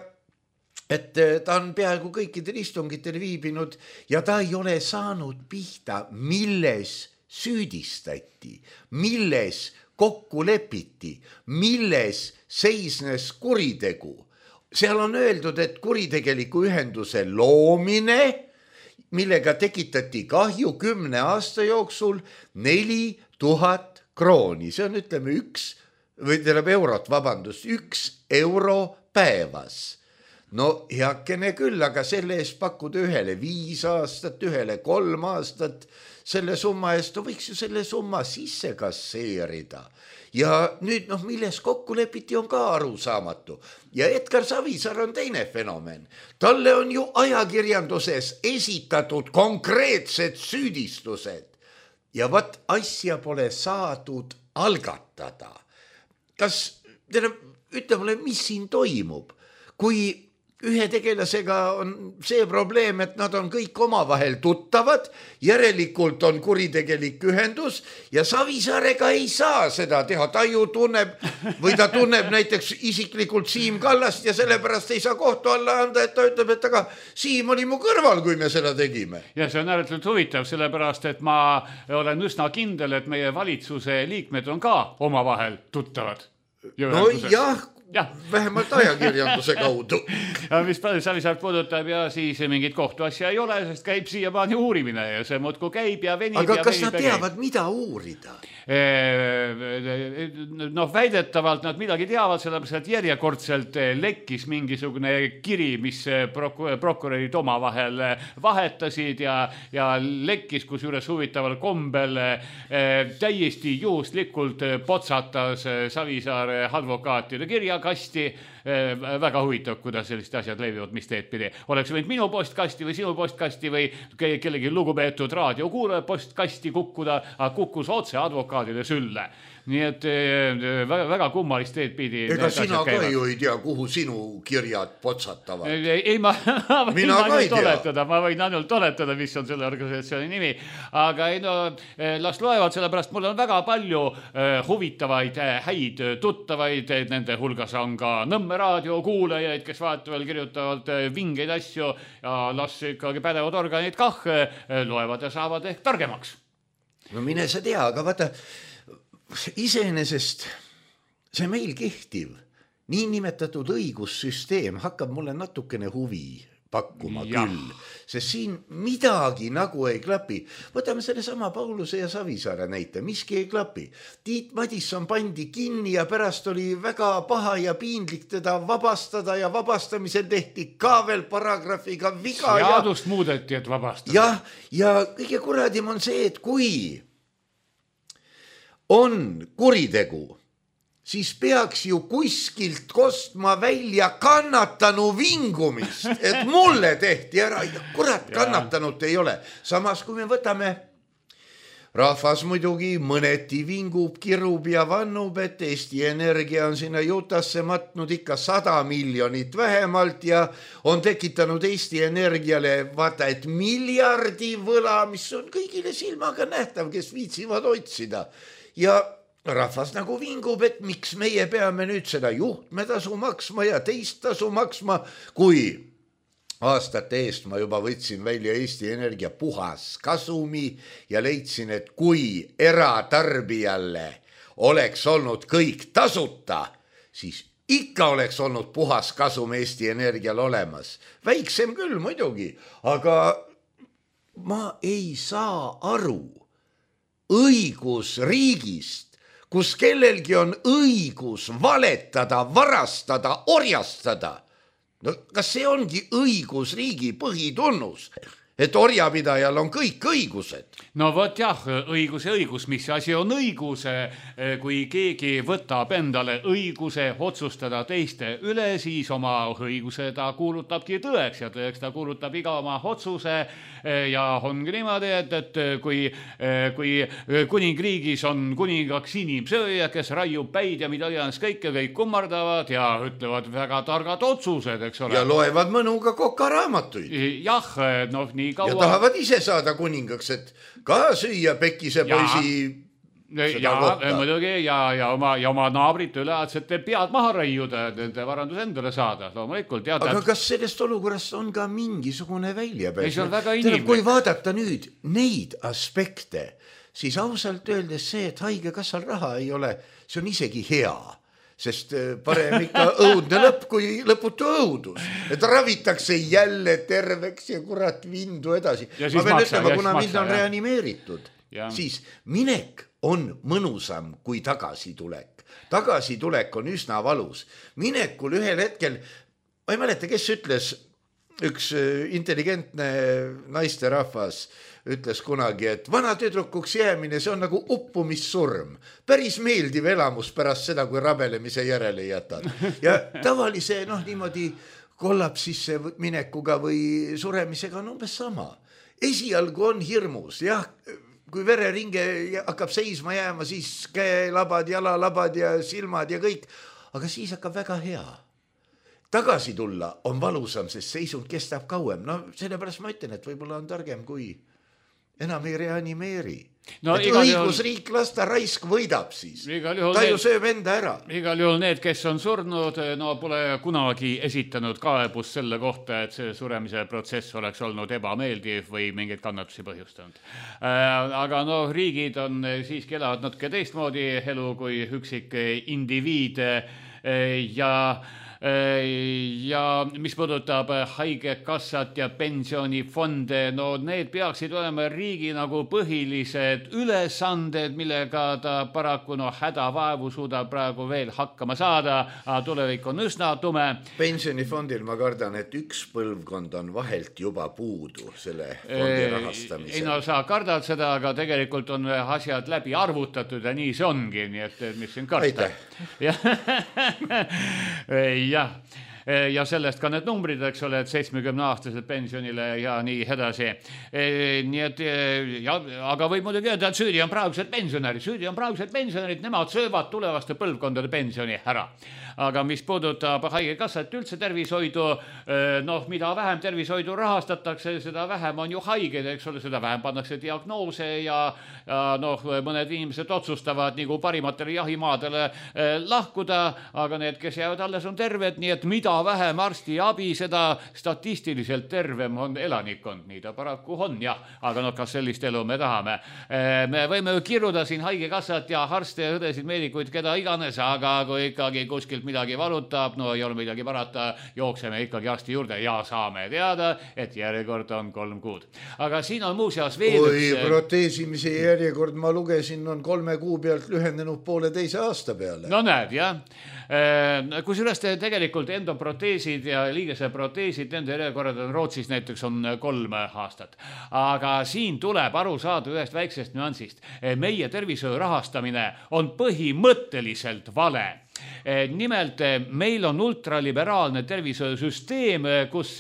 et ta on peaaegu kõikidel istungitel viibinud ja ta ei ole saanud pihta, milles süüdistati, milles kokku lepiti, milles seisnes kuritegu. Seal on öeldud, et kuritegeliku ühenduse loomine, millega tekitati kahju kümne aasta jooksul neli tuhat krooni. See on, ütleme, üks, või tähendab eurot, vabandust, üks euro päevas. No heakene küll, aga selle eest pakkuda ühele viis aastat, ühele kolm aastat, selle summa eest võiks ju selle summa sisse kasseerida. Ja nüüd, noh, milles kokku lepiti on ka arusaamatu. Ja Edgar Savisaar on teine fenomen. Talle on ju ajakirjanduses esitatud konkreetsed süüdistused. Ja vat asja pole saadud algatada. Kas, ütle mulle, mis siin toimub? Kui ühe tegelasega on see probleem, et nad on kõik omavahel tuttavad, järelikult on kuritegelik ühendus ja Savisaarega ei saa seda teha. Ta ju tunneb, või ta tunneb näiteks isiklikult Siim Kallast ja sellepärast ei saa kohtu alla anda, et ta ütleb, et aga Siim oli mu kõrval, kui me seda tegime. Ja see on ääretult huvitav, sellepärast, et ma olen üsna kindel, et meie valitsuse liikmed on ka omavahel tuttavad. No jah, Ja. vähemalt ajakirjanduse kaudu. Ja mis Savisaart puudutab ja siis mingit kohtuasja ei ole, sest käib siiamaani uurimine ja see muudku käib ja venib. Aga ja kas venib nad teavad, käib. Mida uurida? Noh, väidetavalt nad midagi teavad, sellepärast, et järjekordselt lekkis mingisugune kiri, mis prok- prokurörid omavahel vahetasid ja, ja lekkis, kus juures huvitaval kombel täiesti juhuslikult potsatas Savisaare advokaatide kirjakasti. Väga huvitav, kuidas sellised asjad levivad, mis teed pidi. Oleks võinud minu postkasti või sinu postkasti või kellegi lugupeetud raadiokuulaja postkasti kukkuda, aga kukkus otse advokaadile sülle. Nii et väga, väga kummalist teed pidi. Ega sina ka ju ei tea, kuhu sinu kirjad potsatavad. Ei, ma, ma võin ainult oletada, ma võin ainult oletada, mis on selle organisatsiooni nimi. Aga ei, no, las loevad, sellepärast mul on väga palju huvitavaid, häid tuttavaid, nende hulgas on ka Nõmme raadio kuulajaid, kes vaataval kirjutavad vingeid asju ja las ikkagi pädevad organid kah loevad ja saavad ehk targemaks. No mine sa tea, aga vaata, iseenesest see meil kehtiv niinimetatud õigussüsteem hakkab mulle natukene huvi pakkuma ja. Küll, sest siin midagi nagu ei klapi. Võtame selle sama Pauluse ja Savisaare näite, miski ei klapi. Tiit Madisson pandi kinni ja pärast oli väga paha ja piinlik teda vabastada ja vabastamisel tehti ka veel paragraafiga viga. Seadust ja... muudeti, et vabastada. Ja, ja kõige kuradim on see, et kui on kuritegu, siis peaks ju kuskilt kostma välja kannatanu vingumist, et mulle tehti ära, kurat, kannatanut ei ole. Samas, kui me võtame, rahvas muidugi mõneti vingub, kirub ja vannub, et Eesti Energia on sinna Jutasse matnud ikka sada miljonit vähemalt ja on tekitanud Eesti Energiale vaata, et miljardi võla, mis on kõigile silmaga nähtav, kes viitsivad otsida. Ja rahvas nagu vingub, et miks meie peame nüüd seda juhtmetasu maksma ja teist tasu maksma, kui aastate eest ma juba võtsin välja Eesti Energia puhas kasumi ja leidsin, et kui eratarbijale oleks olnud kõik tasuta, siis ikka oleks olnud puhas kasum Eesti Energial olemas. Väiksem küll muidugi, aga ma ei saa aru õigusriigist, kus kellelgi on õigus valetada, varastada, orjastada. No kas see ongi õigusriigi põhitunnus, et orjapidajal on kõik õigused? No vot jah, õigus ja õigus, mis asi on õigus, kui keegi võtab endale õiguse otsustada teiste üle, siis oma õiguse ta kuulutabki tõeks ja tõeks ta kuulutab iga oma otsuse ja ongi niimoodi, et, et kui, kui kuningriigis on kuningaks inimsööja, kes raiub päid ja mida iganes kõike, kõik kummardavad ja ütlevad väga targad otsused, eks ole. Ja loevad mõnuga kokaraamatuid. Jah, noh, nii kaua. Ja tahavad ise saada kuningaks, et ka süüa Pekkise poisi ja muidugi ja, ja, oma, ja oma naabrit üle, et te pead maha raiuda, nende varandus endale saada. Loomulikult, tead, aga kas sellest olukorrast on ka mingisugune väljapääs? See on väga inimlik. Kui vaadata nüüd neid aspekte, siis ausalt öeldes see, et haigekassal raha ei ole, see on isegi hea. Sest parem ikka õudne lõpp kui lõputu õudus. Et ravitakse jälle terveks ja kurat vindu edasi. Ma pean maksa, ütlema, kuna mind on reanimeeritud, ja. Siis minek on mõnusam kui tagasitulek. Tagasitulek on üsna valus. Minekul ühel hetkel, ma ei mäleta, kes ütles, üks intelligentne naisterahvas ütles kunagi, et vana tüdrukuks jäämine, see on nagu uppumissurm. Päris meeldiv elamus pärast seda, kui rabelemise järele jätad. Ja tavalise, noh, niimoodi kollapsisse minekuga või suremisega on umbes sama. Esialgu on hirmus, jah, kui vereringe hakkab seisma jääma, siis käelabad, jalalabad ja silmad ja kõik, aga siis hakkab väga hea. Tagasi tulla on valusam, sest seisund kestab kauem. No sellepärast ma ütlen, et võib-olla on targem, kui enam ei reanimeeri. No, et õigusriik juhul... lasta raisk võidab siis. Ta ju sööb enda ära. Igal juhul need, kes on surnud, no pole kunagi esitanud kaebust selle kohta, et see suremise protsess oleks olnud ebameeldiv või mingeid kannatusi põhjustanud. Aga no riigid on siiski elavad natuke teistmoodi elu kui üksik indiviid ja ja mis puudutab haigekassat ja pensionifonde, no need peaksid olema riigi nagu põhilised ülesanded, millega ta paraku no hädavaevu suudab praegu veel hakkama saada, aga tulevik on üsna tume. Pensionifondil ma kardan, et üks põlvkond on vahelt juba puudu selle fondi rahastamisel. Ei no sa kardad seda, aga tegelikult on asjad läbi arvutatud ja nii see ongi, nii et mis siin karta. Aitäh! Jah, ja sellest ka need numbrid, eks ole, et seitsmekümne aastased pensionile ja nii edasi. Nii et, ja, aga võib muidugi öelda, et süüdi on praegused pensionärid, süüdi on praegused pensionärid, nemad söövad tulevaste põlvkondade pensioni ära. Aga mis puudutab haigekassat üldse tervishoidu, noh, mida vähem tervishoidu rahastatakse, seda vähem on ju haiged, eks ole, seda vähem pannakse diagnoose ja, ja noh, mõned inimesed otsustavad nagu parimatele jahimaadele lahkuda, aga need, kes jäävad alles, on terved, nii et mida vähem arsti abi, seda statistiliselt tervem on elanikkond, nii ta paraku on, jah, aga noh, kas sellist elu me tahame? Me võime ju kirjuda siin haigekassat ja arste, õdesid, meedikuid, keda iganes, aga kui ikkagi kuskil midagi valutab, no ei ole midagi parata, jookseme ikkagi arsti juurde ja saame teada, et järjekord on kolm kuud. Aga siin on muuseas veel Oi, üks... proteesimise järjekord, ma lugesin, on kolme kuu pealt lühendenud poole teise aasta peale. No näed, jah. Kusjuures tegelikult endo ortoproteesid ja liigese proteesid, nende järjekorrad on Rootsis näiteks on kolm aastat. Aga siin tuleb aru saada ühest väiksest nüansist. Meie tervishoiu rahastamine on põhimõtteliselt vale. Nimelt meil on ultraliberaalne tervishoiusüsteem, kus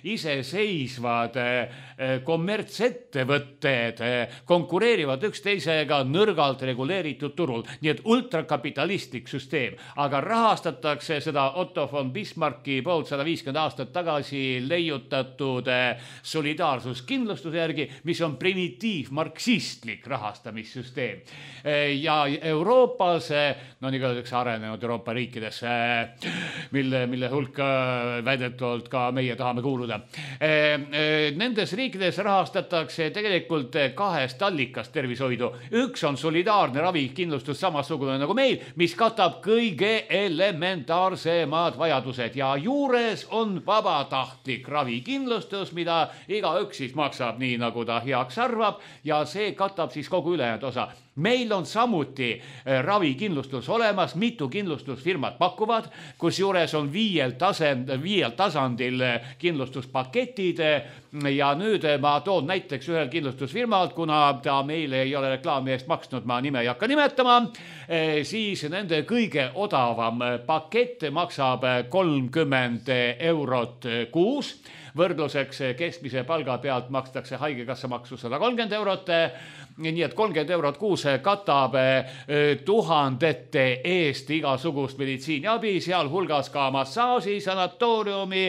iseseisvad kommertsettevõtted konkureerivad üksteisega nõrgalt reguleeritud turul. Nii et ultrakapitalistlik süsteem, aga rahastatakse seda Otto von Bismarcki poolt sada viiskümmend aastat tagasi leiutatud solidaarsuskindlustuse järgi, mis on primitiivmarksistlik rahastamissüsteem. Ja Euroopas, no nii öeldakse arenenud Euroopa riikides, mille, mille hulka väidetavalt ka meie tahame kuuluda. Nendes riikides rahastatakse tegelikult kahest allikast tervishoidu. Üks on solidaarne ravikindlustus samasugune nagu meil, mis katab kõige elementaarsemad vajadused ja juures on vabatahtlik ravikindlustus, mida igaüks siis maksab nii, nagu ta heaks arvab ja see katab siis kogu ülejäänud osa. Meil on samuti ravikindlustus olemas, mitu kindlustusfirmat pakuvad, kus juures on viiel, tasand, viiel tasandil kindlustuspaketid ja nüüd ma toon näiteks ühel kindlustusfirmalt, kuna ta meile ei ole reklaami eest maksnud, ma nime ei hakka nimetama, siis nende kõige odavam pakett maksab kolmkümmend eurot kuus. Võrdluseks keskmise palga pealt makstakse haigekassa maksu sada kolmkümmend eurot, nii et kolmkümmend eurot kuus katab tuhandete eest igasugust meditsiiniabi, seal hulgas ka massaaži, sanatooriumi,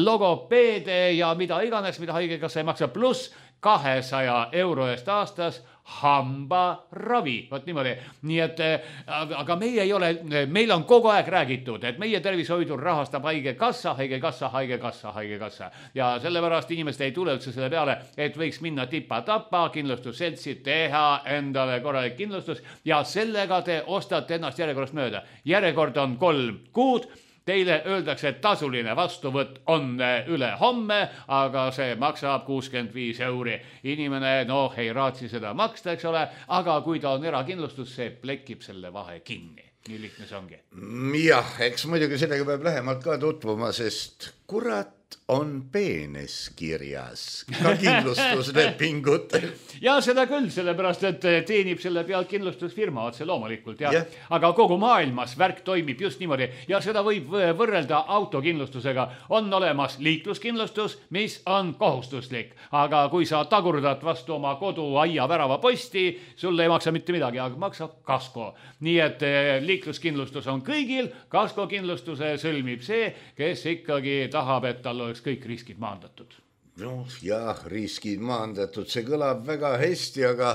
logopeede ja mida iganes, mida haigekassa ei maksa, pluss kahesaja euro eest aastas hambaravi. Võt niimoodi. Nii et, aga meie ei ole, meil on kogu aeg räägitud, et meie tervishoidu rahastab haigekassa, haigekassa, haigekassa, haigekassa. Ja sellepärast inimesed ei tule üldse selle peale, et võiks minna tipa-tapa kindlustusseltsi, teha endale korralik kindlustus ja sellega te ostate ennast järjekorrast mööda. Järjekord on kolm kuud. Teile öeldakse, et tasuline vastuvõtt on üle homme, aga see maksab kuuskümmend viis euri. Inimene, noh, ei raatsi seda maksta, eks ole, aga kui ta on erakindlustus, see plekib selle vahe kinni. Nii lihtne see ongi. Jah, eks muidugi sellega peab lähemalt ka tutvuma, sest kurat on peenes kirjas ka kindlustuslepingutel. Ja seda küll, sellepärast, et teenib selle pealt kindlustusfirma otse loomulikult. Ja, yeah. Aga kogu maailmas värk toimib just niimoodi ja seda võib võrrelda autokindlustusega. On olemas liikluskindlustus, mis on kohustuslik, aga kui sa tagurdad vastu oma kodu aia värava posti, sulle ei maksa mitte midagi, aga maksab kasko. Nii et liikluskindlustus on kõigil, kaskokindlustuse sõlmib see, kes ikkagi tahab, et tal oleks kõik riskid maandatud. No jah, riskid maandatud, see kõlab väga hästi, aga,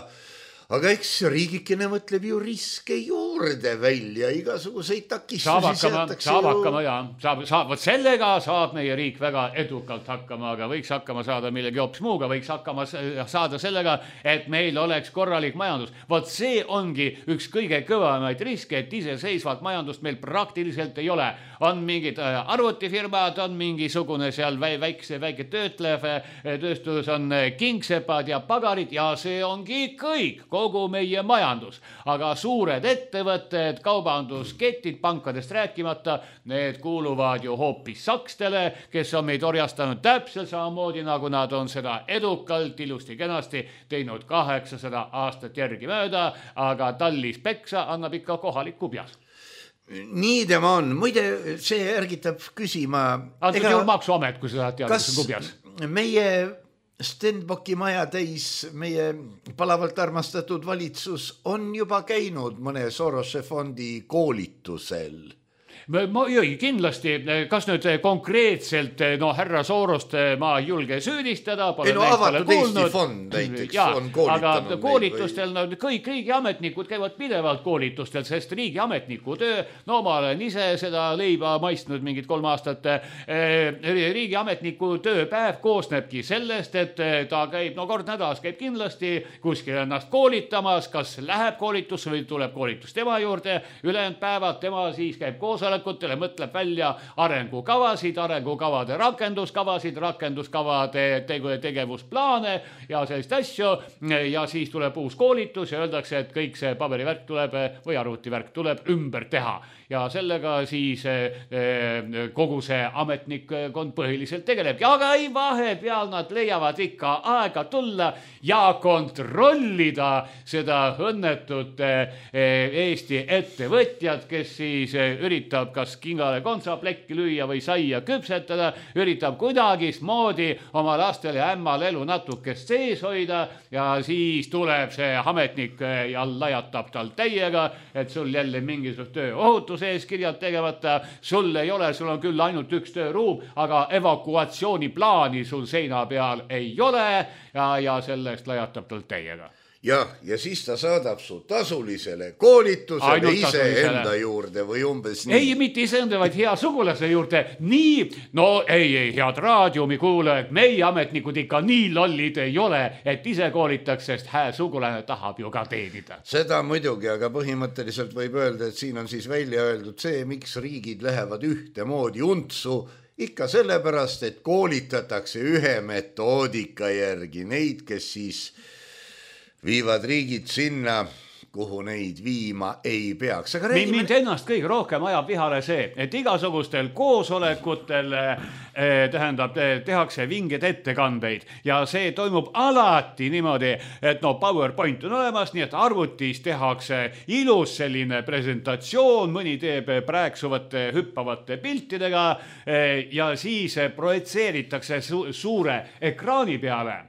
aga eks riigikene mõtleb ju riske juurde välja, igasuguseid takistusi saab hakkama, saab ju... hakkama ja saab, saab, võt sellega saab meie riik väga edukalt hakkama, aga võiks hakkama saada millegi hoopis muuga, võiks hakkama saada sellega, et meil oleks korralik majandus. Võt see ongi üks kõige kõvemaid riske, et iseseisvalt majandust meil praktiliselt ei ole. On mingid arvutifirmad, on mingisugune seal väikse, väike töötlev tööstus, on kingsepad ja pagarid ja see ongi kõik, kogu meie majandus. Aga suured ettevõtted, kaubandusketid, pankadest rääkimata, need kuuluvad ju hoopis sakstele, kes on meid orjastanud täpselt samamoodi, nagu nad on seda edukalt, ilusti kenasti teinud kaheksasada aastat järgi mööda, aga tallis peksa annab ikka kohalik kubjas. Nii tema on. Muide, see ärgitab küsima... Antud ega... ju maksuamet, kui sa tahad teada, kas kubjas. Meie Stenbocki maja täis, meie palavalt armastatud valitsus on juba käinud mõne Sorose fondi koolitusel? Ma, jõi, kindlasti, kas nüüd konkreetselt no, härra Sorost ma ei julge süüdistada, ei no avatud Eesti fond näiteks ja, on koolitanud. Aga koolitustel no, kõik riigiametnikud käivad pidevalt koolitustel, sest riigiametniku töö, no ma olen ise seda leiba maistnud mingid kolm aastat, riigiametniku tööpäev koosnebki sellest, et ta käib, no kord nädalas käib kindlasti kuskil ennast koolitamas, kas läheb koolitusse või tuleb koolitus tema juurde, ülejäänud päevad tema siis käib koosolek koosolekutele, mõtleb välja arengukavasid, arengukavade rakenduskavasid, rakenduskavade tegevusplaane ja sellist asju ja siis tuleb uus koolitus ja öeldakse, et kõik see paberivärk tuleb või arvutivärk tuleb ümber teha ja sellega siis kogu see ametnikkond põhiliselt tegeleb. Aga ei, vahepeal nad leiavad ikka aega tulla ja kontrollida seda õnnetut Eesti ettevõtjad, kes siis üritab kas kingale kontsaplekki lüüa või saia küpsetada, üritab kuidagismoodi oma lastel ja ämmal elu natukest sees hoida ja siis tuleb see ametnik ja lajatab tal täiega, et sul jälle mingisugust töö ohutuse eeskirjad tegevata, sul ei ole, sul on küll ainult üks tööruum, aga evakuatsiooniplaani sul seina peal ei ole ja, ja sellest lajatab tal täiega. Jah, ja siis ta saadab su tasulisele koolitusele Ainult ise tasulisele. enda juurde või umbes nii. Ei, mitte ise enda, vaid hea sugulase juurde. Nii, no ei, ei, head raadiumi kuulajad, meie ametnikud ikka nii lollid ei ole, et ise koolitaks, sest hää sugulane tahab ju ka teenida. Seda muidugi, aga põhimõtteliselt võib öelda, et siin on siis välja öeldud see, miks riigid lähevad ühtemoodi untsu, ikka sellepärast, et koolitatakse ühe metoodika järgi neid, kes siis viivad riigid sinna, kuhu neid viima ei peaks. Aga räägime... Mind ennast kõige rohkem ajab vihale see, et igasugustel koosolekutel eh, tähendab, tehakse vinged ettekandeid ja see toimub alati niimoodi, et no PowerPoint on olemas, nii et arvutis tehakse ilus selline presentatsioon, mõni teeb prääksuvate hüppavate piltidega eh, ja siis projitseeritakse su suure ekraani peale.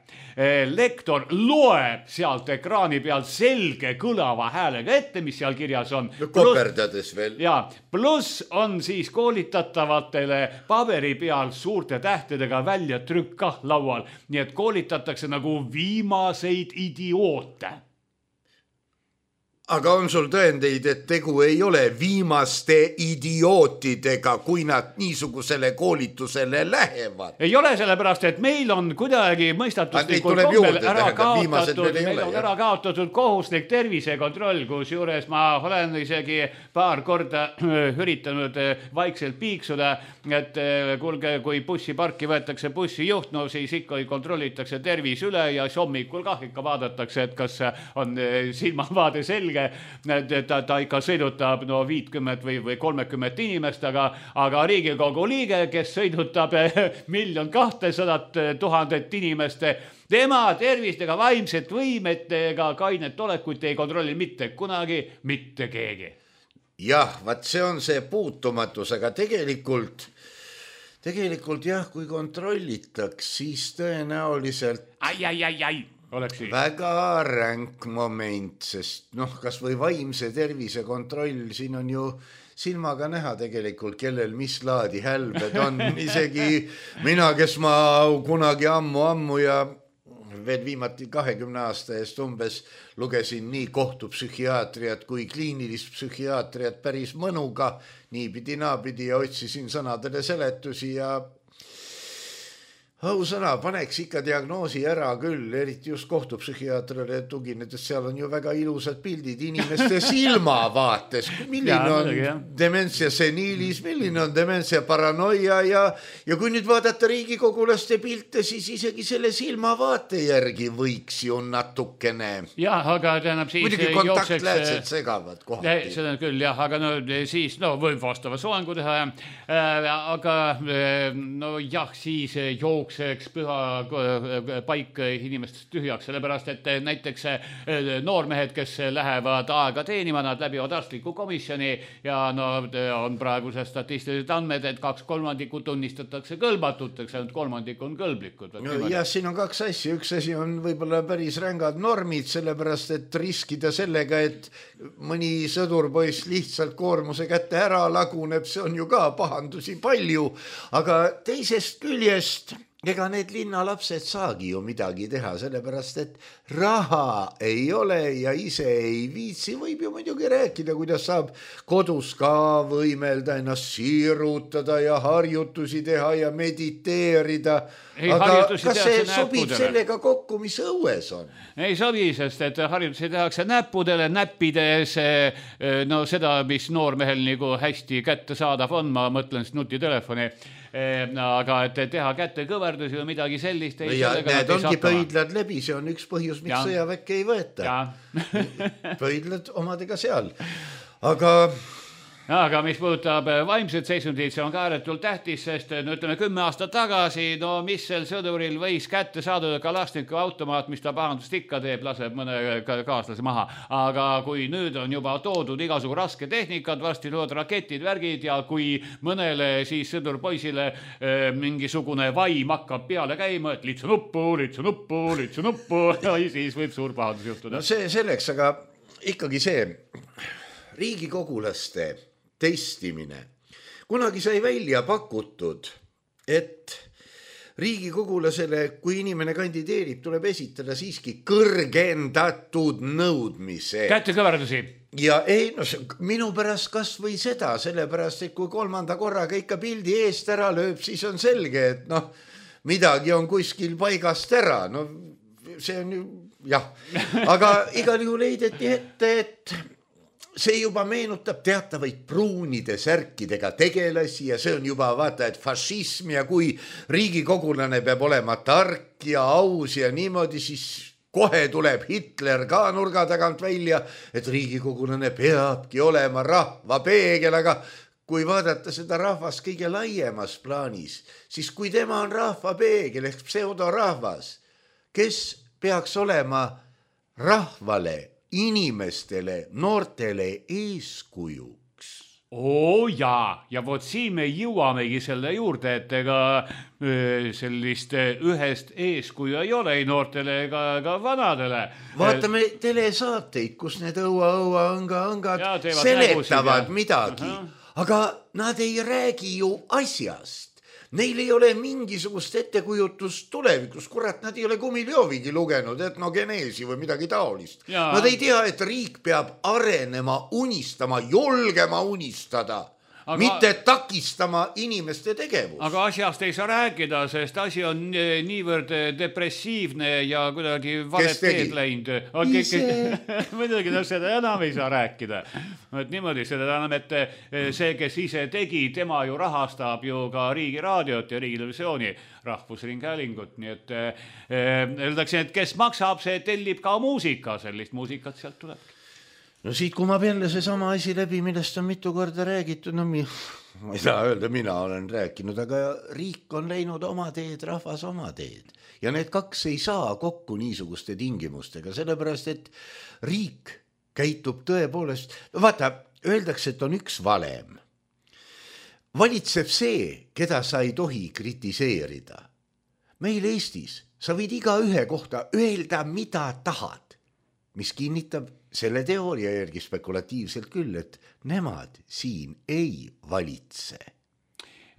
Lektor loeb sealt ekraani peal selge kõlava häälega ette, mis seal kirjas on. No, koperdades veel. Ja, pluss on siis koolitatavatele paberi peal suurte tähtedega välja trükka laual. Nii et koolitatakse nagu viimaseid idioote. Aga on sul tõendeid, et tegu ei ole viimaste idiootidega, kui nad niisugusele koolitusele lähevad? Ei ole, sellepärast, et meil on kuidagi mõistatuslikul kombel ära kaotatud, meil ole, on jah. ära kaotatud kohuslik tervisekontroll, kus juures ma olen isegi paar korda üritanud vaikselt piiksuda, et kuulge, kui bussiparki võetakse bussijuht, no siis ikka kontrollitakse tervis üle ja hommikul kah ikka vaadatakse, et kas on silmavaade selge. Ta, ta ikka sõidutab no viitkümmet või, või kolmekümmet inimest, aga, aga Riigikogu liige, kes sõidutab miljon kahtesadat tuhandet inimest, tema tervist ega vaimset võimet ega kainet olekut ei kontrolli mitte kunagi mitte keegi. Jah, vaat see on see puutumatus, aga tegelikult, tegelikult jah, kui kontrollitaks, siis tõenäoliselt... Ai, ai, ai, ai. Oleksi. Väga ränk moment, sest noh, kas või vaimse tervise kontroll, siin on ju silmaga näha tegelikult, kellel mis laadi hälbed on. Isegi mina, kes ma kunagi ammu, ammu ja veel viimati kahekümne aasta eest umbes lugesin nii kohtupsühhiaatriat kui kliinilist psühhiaatriat päris mõnuga, niipidi naapidi ja otsisin sõnadele seletusi ja Ausõna, paneks ikka diagnoosi ära küll, eriti just kohtupsühhiaatrile tuginedes, seal on ju väga ilusad pildid inimeste silmavaates. Milline on ja, dementia seniilis, milline on dementia paranoia ja, ja kui nüüd vaadata riigikogulaste pilte, siis isegi selle silmavaate järgi võiks ju natukene. Jah, aga tähendab siis muidugi kontaktläätsed jookseks... segavad kohati. Seda küll, jah, aga no siis no, võib vastava soangu teha. Äh, aga no jah, siis jookseks jookseks püha paik inimestest tühjaks, sellepärast et näiteks noormehed, kes lähevad aega teenima, nad läbivad arstliku komisjoni ja no on praegused statistilised andmed, et kaks kolmandikku tunnistatakse kõlbatuteks, ainult kolmandik on kõlblikud. No, jah, siin on kaks asja. Üks asi on võib-olla päris rängad normid, sellepärast et riskida sellega, et mõni sõdurpoiss lihtsalt koormuse kätte ära laguneb, see on ju ka pahandusi palju, aga teisest küljest ega need linnalapsed saagi ju midagi teha, sellepärast et raha ei ole ja ise ei viitsi. Võib ju muidugi rääkida, kuidas saab kodus ka võimelda, ennast siirutada ja harjutusi teha ja mediteerida. Ei, aga kas see sobib sellega kokku, mis õues on? Ei sobi, sest et harjutusi tehakse näppudele, näppides no seda, mis noormehel nagu hästi kätte saadav on, ma mõtlen nutitelefoni. Aga et teha kätte kõverdusi või midagi sellist ei ja need ongi pöidlad läbi, see on üks põhjus, miks sõjaväkke ei võeta. Pöidlad omadega seal. Aga aga mis puudutab vaimset seisundit, see on ka ääretult tähtis, sest no ütleme kümme aastat tagasi, no mis sel sõduril võis kätte saada Kalashniku automaat, mis ta pahandust ikka teeb, laseb mõne kaaslase maha. Aga kui nüüd on juba toodud igasugu raske tehnikad, varsti lood raketid, värgid ja kui mõnele siis sõdurpoisile eh, mingisugune vaim hakkab peale käima, et litsu nuppu, litsu nuppu, litsu nuppu, siis võib suur pahandus juhtuda. No see selleks, aga ikkagi see riigikogulaste testimine. Kunagi sai välja pakutud, et riigikogulasele, kui inimene kandideerib, tuleb esitada siiski kõrgendatud nõudmise. Kätekõverdusi. Ja ei, no minu pärast kas või seda, sellepärast, et kui kolmanda korraga ikka pildi eest ära lööb, siis on selge, et noh, midagi on kuskil paigast ära. No see on ju, jah. Aga igal juhul leideti ette, et see juba meenutab teatavaid pruunide särkidega tegelasi ja see on juba vaata, et fašism ja kui riigikogulane peab olema tark ja aus ja niimoodi, siis kohe tuleb Hitler ka nurga tagant välja, et riigikogulane peabki olema rahva peegel, aga kui vaadata seda rahvast kõige laiemas plaanis, siis kui tema on rahva peegel ehk pseudorahvas, kes peaks olema rahvale, inimestele, noortele eeskujuks. Oo jaa, ja vot siin me jõuamegi selle juurde, et ega sellist ühest eeskuju ei ole ei noortele ega, ega vanadele. Vaatame telesaateid, kus need õua-õua õnga-õngad seletavad midagi, aga nad ei räägi ju asjast. Neil ei ole mingisugust ettekujutust tulevikus, kurat, nad ei ole Gumiljoovigi lugenud, etnogeneesi või midagi taolist. Ja. Nad ei tea, et riik peab arenema, unistama, julgema unistada, aga, mitte takistama inimeste tegevust. Aga asjast ei saa rääkida, sest asi on niivõrd depressiivne ja kuidagi valet teed läinud. Muidugi, no seda enam ei saa rääkida. Et niimoodi, seda enam, et see, kes ise tegi, tema ju rahastab ju ka riigi raadiot ja riigi televisiooni rahvusringhäälingut. Nii et öeldakse, et kes maksab, see tellib ka muusika, sellist muusikat sealt tuleb. No siit kumab jälle see sama asi läbi, millest on mitu korda räägitud. No mi, ma ei saa öelda, mina olen rääkinud, aga riik on läinud oma teed, rahvas oma teed. Ja need kaks ei saa kokku niisuguste tingimustega, sellepärast, et riik käitub tõepoolest. Vaata, öeldakse, et on üks valem. Valitseb see, keda sa ei tohi kritiseerida. Meil Eestis sa võid iga ühe kohta öelda, mida tahad, mis kinnitab selle teooria järgi spekulatiivselt küll, et nemad siin ei valitse.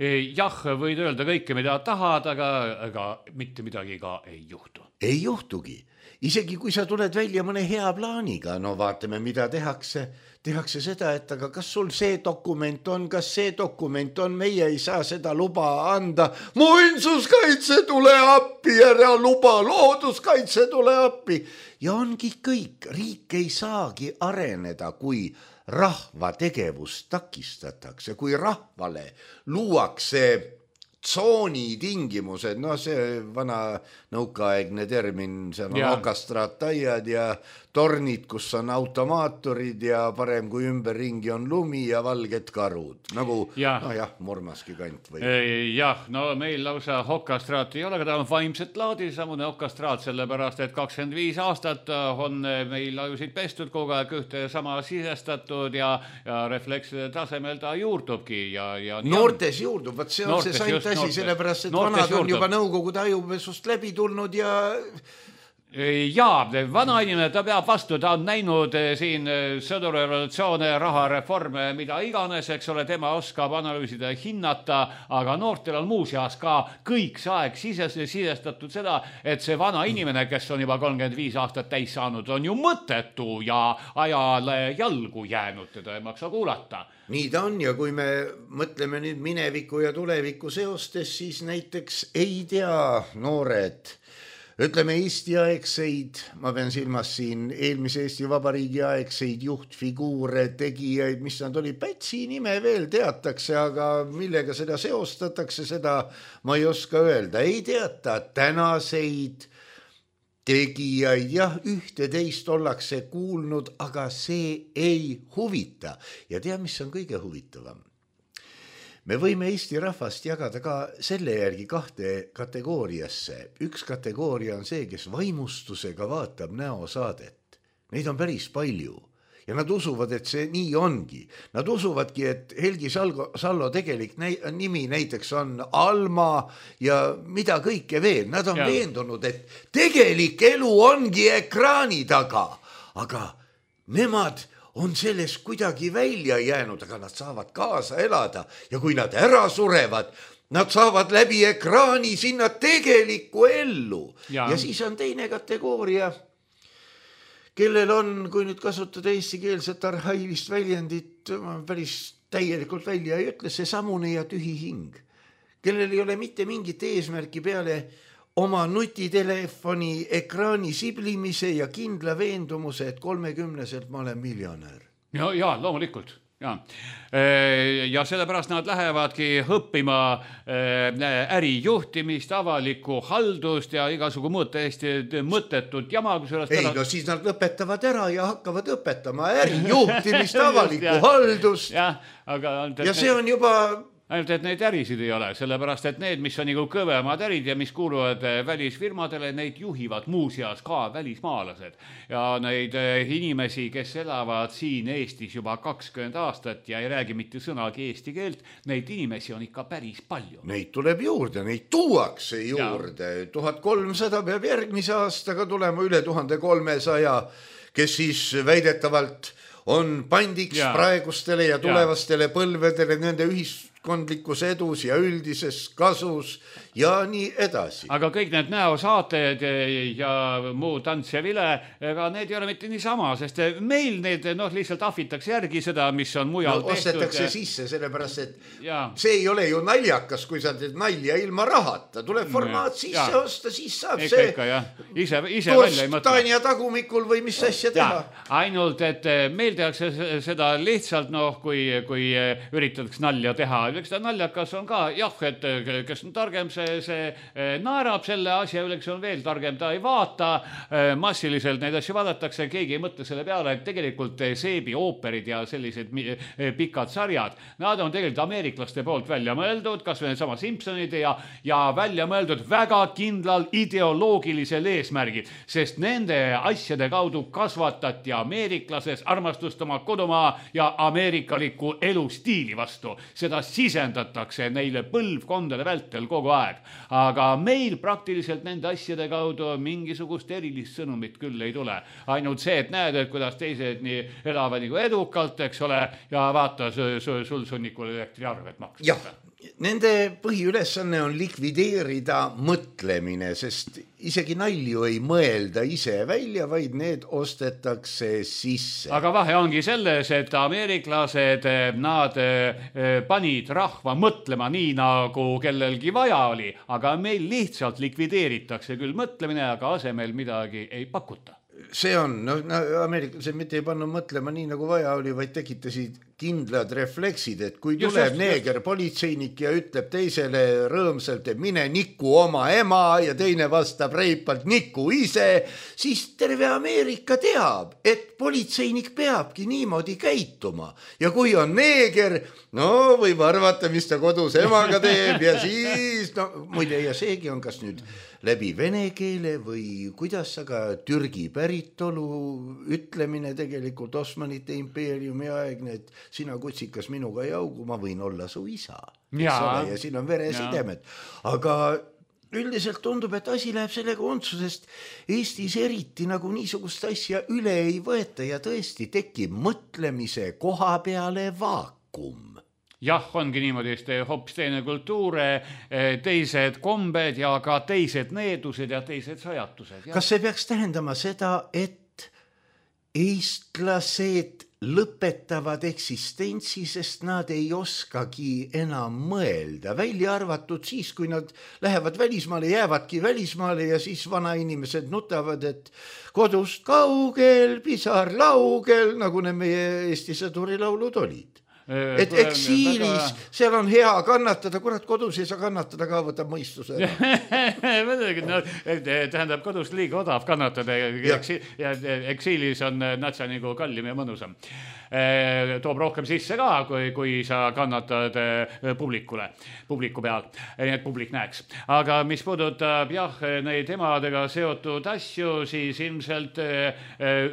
Jah, võid öelda kõike, mida tahad, aga, aga mitte midagi ka ei juhtu. Ei juhtugi. Isegi kui sa tuled välja mõne hea plaaniga, no vaatame, mida tehakse. Tehakse seda, et aga kas sul see dokument on, kas see dokument on, meie ei saa seda luba anda. Muinsuskaitse tule appi, ära luba, looduskaitse tule appi. Ja ongi kõik, riik ei saagi areneda, kui rahva tegevust takistatakse, kui rahvale luuakse tsooni tingimused, no see vana nõukaaegne termin, see on ja. Okastraattaiad ja tornid, kus on automaatorid ja parem kui ümberringi on lumi ja valged karud. Nagu, ja. no jah, Murmaski kant või. Jah, no meil lausa okastraat ei ole, aga ta on vaimset laadi, samune okastraat, sellepärast, et kakskümmend viis aastat on meil ajusid pestud kogu aeg ühte sama sisestatud ja, ja reflekside tasemel ta juurdubki. Ja, ja noortes juurdub, vaat see on noortes, see saint asi, sellepärast, et noortes vanad on juurdub. Juba nõukogude ajupesust läbi tulnud ja Jaa, vanainimene, ta peab vastu, ta on näinud siin sõdurevolutsioone, rahareforme, mida iganes, eks ole, tema oskab analüüsida ja hinnata, aga noortel on muuseas ka kõik see aeg sisestatud seda, et see vana inimene, kes on juba kolmkümmend viis aastat täis saanud, on ju mõttetu ja ajale jalgu jäänud, teda ei maksa kuulata. Nii ta on ja kui me mõtleme nüüd mineviku ja tuleviku seostes, siis näiteks ei tea noored, ütleme Eesti aegseid, ma pean silmas siin eelmise Eesti Vabariigi aegseid juhtfiguure, tegijaid, mis nad oli, Pätsi nime veel teatakse, aga millega seda seostatakse, seda ma ei oska öelda. Ei teata tänaseid tegijaid, jah, ühte teist ollakse kuulnud, aga see ei huvita. Ja tea, mis on kõige huvitavam? Me võime Eesti rahvast jagada ka selle järgi kahte kategooriasse. Üks kategooria on see, kes vaimustusega vaatab näosaadet. Neid on päris palju. Ja nad usuvad, et see nii ongi. Nad usuvadki, et Helgi Salgo, Sallo tegelik näi, nimi näiteks on Alma ja mida kõike veel. Nad on ja. veendunud, et tegelik elu ongi ekraani taga. Aga nemad on sellest kuidagi välja jäänud, aga nad saavad kaasa elada ja kui nad ära surevad, nad saavad läbi ekraani sinna tegelikku ellu. Ja, ja siis on teine kategooria, kellel on, kui nüüd kasutada eestikeelset arhailist väljendit, päris täielikult välja ei ütle, see samune ja tühi hing, kellel ei ole mitte mingit eesmärki peale oma nutitelefoni ekraani siblimise ja kindla veendumuse, et kolmekümneselt ma olen miljonär. Ja, ja loomulikult. Ja. ja sellepärast nad lähevadki õppima ärijuhtimist, avalikku haldust ja igasugu muud täiesti mõttetut jama. Ei, no siis nad lõpetavad ära ja hakkavad õpetama ärijuhtimist, avalikku ja, haldust. Ja, aga, ja see on juba... Ainult, et neid ärisid ei ole, sellepärast, et need, mis on nagu kõvemad ärid ja mis kuuluvad välisfirmadele, neid juhivad muuseas ka välismaalased. Ja neid inimesi, kes elavad siin Eestis juba kakskümmend aastat ja ei räägi mitte sõnagi eesti keelt, neid inimesi on ikka päris palju. Neid tuleb juurde, neid tuuakse juurde. tuhat kolmsada peab järgmise aastaga tulema üle tuhat kolmesaja, kes siis väidetavalt on pandiks ja. praegustele ja tulevastele ja. põlvedele nende ühiskondlikus edus ja üldises kasus ja nii edasi. Aga kõik need näosaated ja muu tants ja vile, ega need ei ole mitte niisama, sest meil need no, lihtsalt ahvitakse järgi seda, mis on mujal no, tehtud. Ostetakse ja... sisse, sellepärast, et ja. see ei ole ju naljakas, kui sa teed nalja ilma rahata. Tuleb formaat ja. sisse ja. osta, siis saab Eka, see. Ikka, ise, ise välja ei mõtle. Tanja tagumikul või mis asja teha. Ja. Ainult, et meil tehakse seda lihtsalt, noh, kui, kui üritatakse nalja teha. Eks ta naljakas on ka, jah, et kes on targem, see, see naerab selle asja üle, kes on veel targem, ta ei vaata. Massiliselt neid asju vaadatakse, keegi ei mõtle selle peale, et tegelikult seebi ooperid ja sellised pikad sarjad, nad on tegelikult ameeriklaste poolt välja mõeldud, kas või sama Simpsonid ja, ja välja mõeldud väga kindlal ideoloogilisel eesmärgid, sest nende asjade kaudu kasvatati ameeriklases armastust oma kodumaa ja ameerikaliku elustiili vastu. Seda sisendatakse neile põlvkondade vältel kogu aeg. Aga meil praktiliselt nende asjade kaudu mingisugust erilist sõnumit küll ei tule. Ainult see, et näed, et kuidas teised nii elavad nagu edukalt, eks ole, ja vaata sul sunnikul elektriarvet maksta. Jah, nende põhiülesanne on likvideerida mõtlemine, sest isegi nalju ei mõelda ise välja, vaid need ostetakse sisse. Aga vahe ongi selles, et ameeriklased, nad panid rahva mõtlema nii, nagu kellelgi vaja oli, aga meil lihtsalt likvideeritakse küll mõtlemine, aga asemel midagi ei pakuta. See on, no, no ameeriklased mitte ei pannud mõtlema nii, nagu vaja oli, vaid tekitasid kindlad refleksid, et kui tuleb just, neeger just. politseinik ja ütleb teisele rõõmsalt, et mine niku oma ema ja teine vastab reipalt niku ise, siis terve Ameerika teab, et politseinik peabki niimoodi käituma. Ja kui on neeger, no võib arvata, mis ta kodus emaga teeb ja siis, no muide, ja seegi on kas nüüd läbi vene keele või kuidas, aga Türgi päritolu ütlemine tegelikult Osmanite impeeriumi aegne, et sina kutsikas minuga ei augu, ma võin olla su isa. Ja, ja siin on veresidemed. Aga üldiselt tundub, et asi läheb sellega untsu, sest Eestis eriti nagu niisugust asja üle ei võeta ja tõesti tekib mõtlemise koha peale vaakum. Jah, ongi niimoodi, hoopis teine kultuur, teised kombed ja ka teised needused ja teised sajatused. Ja. Kas see peaks tähendama seda, et eestlased lõpetavad eksistentsi, sest nad ei oskagi enam mõelda, välja arvatud siis, kui nad lähevad välismaale, jäävadki välismaale ja siis vanainimesed nutavad, et kodust kaugel, pisar laugel, nagu need meie Eesti sõdurilaulud olid. Et eksiilis, seal on hea kannatada, kurat kodus ei saa kannatada ka, võtab mõistuse. no, tähendab, kodus liiga odav kannatada ja, ja eksiilis on natsa nagu kallim ja mõnusam. Toob rohkem sisse ka, kui, kui sa kannatad publikule, publiku peal, nii et publik näeks. Aga mis puudutab jah, neid emadega seotud asju, siis ilmselt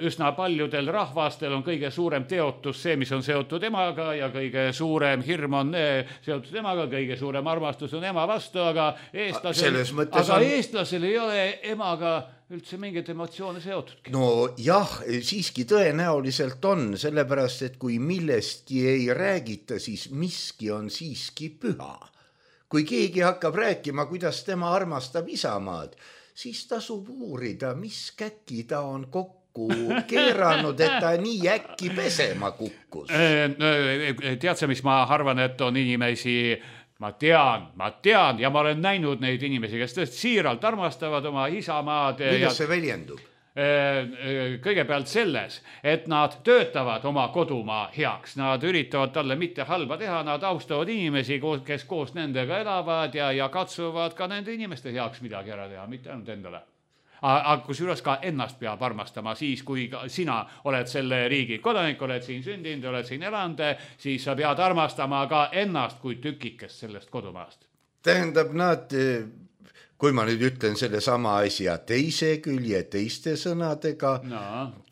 üsna paljudel rahvastel on kõige suurem teotus see, mis on seotud emaga ja kõige suurem hirm on seotud emaga, kõige suurem armastus on ema vastu, aga eestlasel, aga on... eestlasel ei ole emaga üldse mingit emotsioone seotudki. No jah, siiski tõenäoliselt on, sellepärast, et kui millestki ei räägita, siis miski on siiski püha. Kui keegi hakkab rääkima, kuidas tema armastab isamaad, siis tasub uurida, mis käki ta on kokku keeranud, et ta nii äkki pesema kukkus. Tead sa, mis ma arvan, et on inimesi... Ma tean, ma tean ja ma olen näinud neid inimesi, kes tõesti siiralt armastavad oma isamaad. Kuidas see väljendub? Kõigepealt selles, et nad töötavad oma kodumaa heaks. Nad üritavad talle mitte halba teha, nad austavad inimesi, kes koos nendega elavad ja, ja katsuvad ka nende inimeste heaks midagi ära teha, mitte ainult endale. Aga kusjuures ka ennast peab armastama siis, kui sina oled selle riigi kodanik, oled siin sündinud, oled siin elanud, siis sa pead armastama ka ennast kui tükikest sellest kodumaast. Tähendab, nad, kui ma nüüd ütlen selle sama asja teise külje teiste sõnadega, no.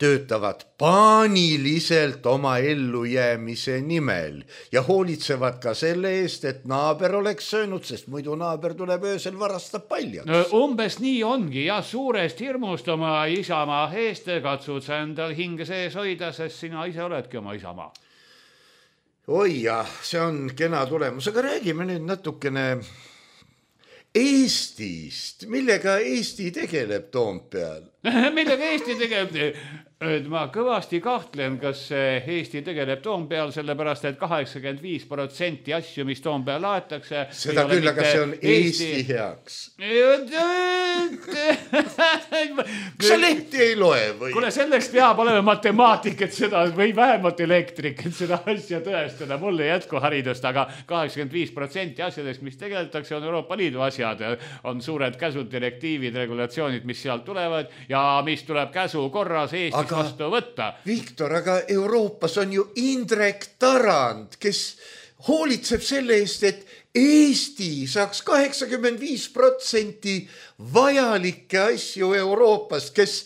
Töötavad paaniliselt oma ellujäämise nimel ja hoolitsevad ka selle eest, et naaber oleks söönud, sest muidu naaber tuleb öösel varastab paljaks. No, umbes nii ongi ja suurest hirmust oma isamaa eest katsud sa endal hinge sees hoida, sest sina ise oledki oma isamaa. Oi jah, see on kena tulemus, aga räägime nüüd natukene Eestist, millega Eesti tegeleb Toompeal? Millega Eesti tegeleb? Ma kõvasti kahtlen, kas Eesti tegeleb Toompeal, sellepärast, et kaheksakümmend viis protsenti asju, mis Toompeal laetakse... Seda küll, aga see on Eesti, Eesti heaks. Kas sa lehti ei loe või? Kuule, selleks peab olema matemaatik, et seda, või vähemalt elektrik, et seda asja tõestada. Mul ei jätku haridust, aga kaheksakümmend viis protsenti asjadest, mis tegeletakse, on Euroopa Liidu asjad. On suured käsud, direktiivid, regulatsioonid, mis sealt tulevad ja mis tuleb käsu korras Eestis aga, vastu võtta. Viktor, aga Euroopas on ju Indrek Tarand, kes hoolitseb selle eest, et Eesti saaks kaheksakümmend viis protsenti vajalikke asju Euroopast, kes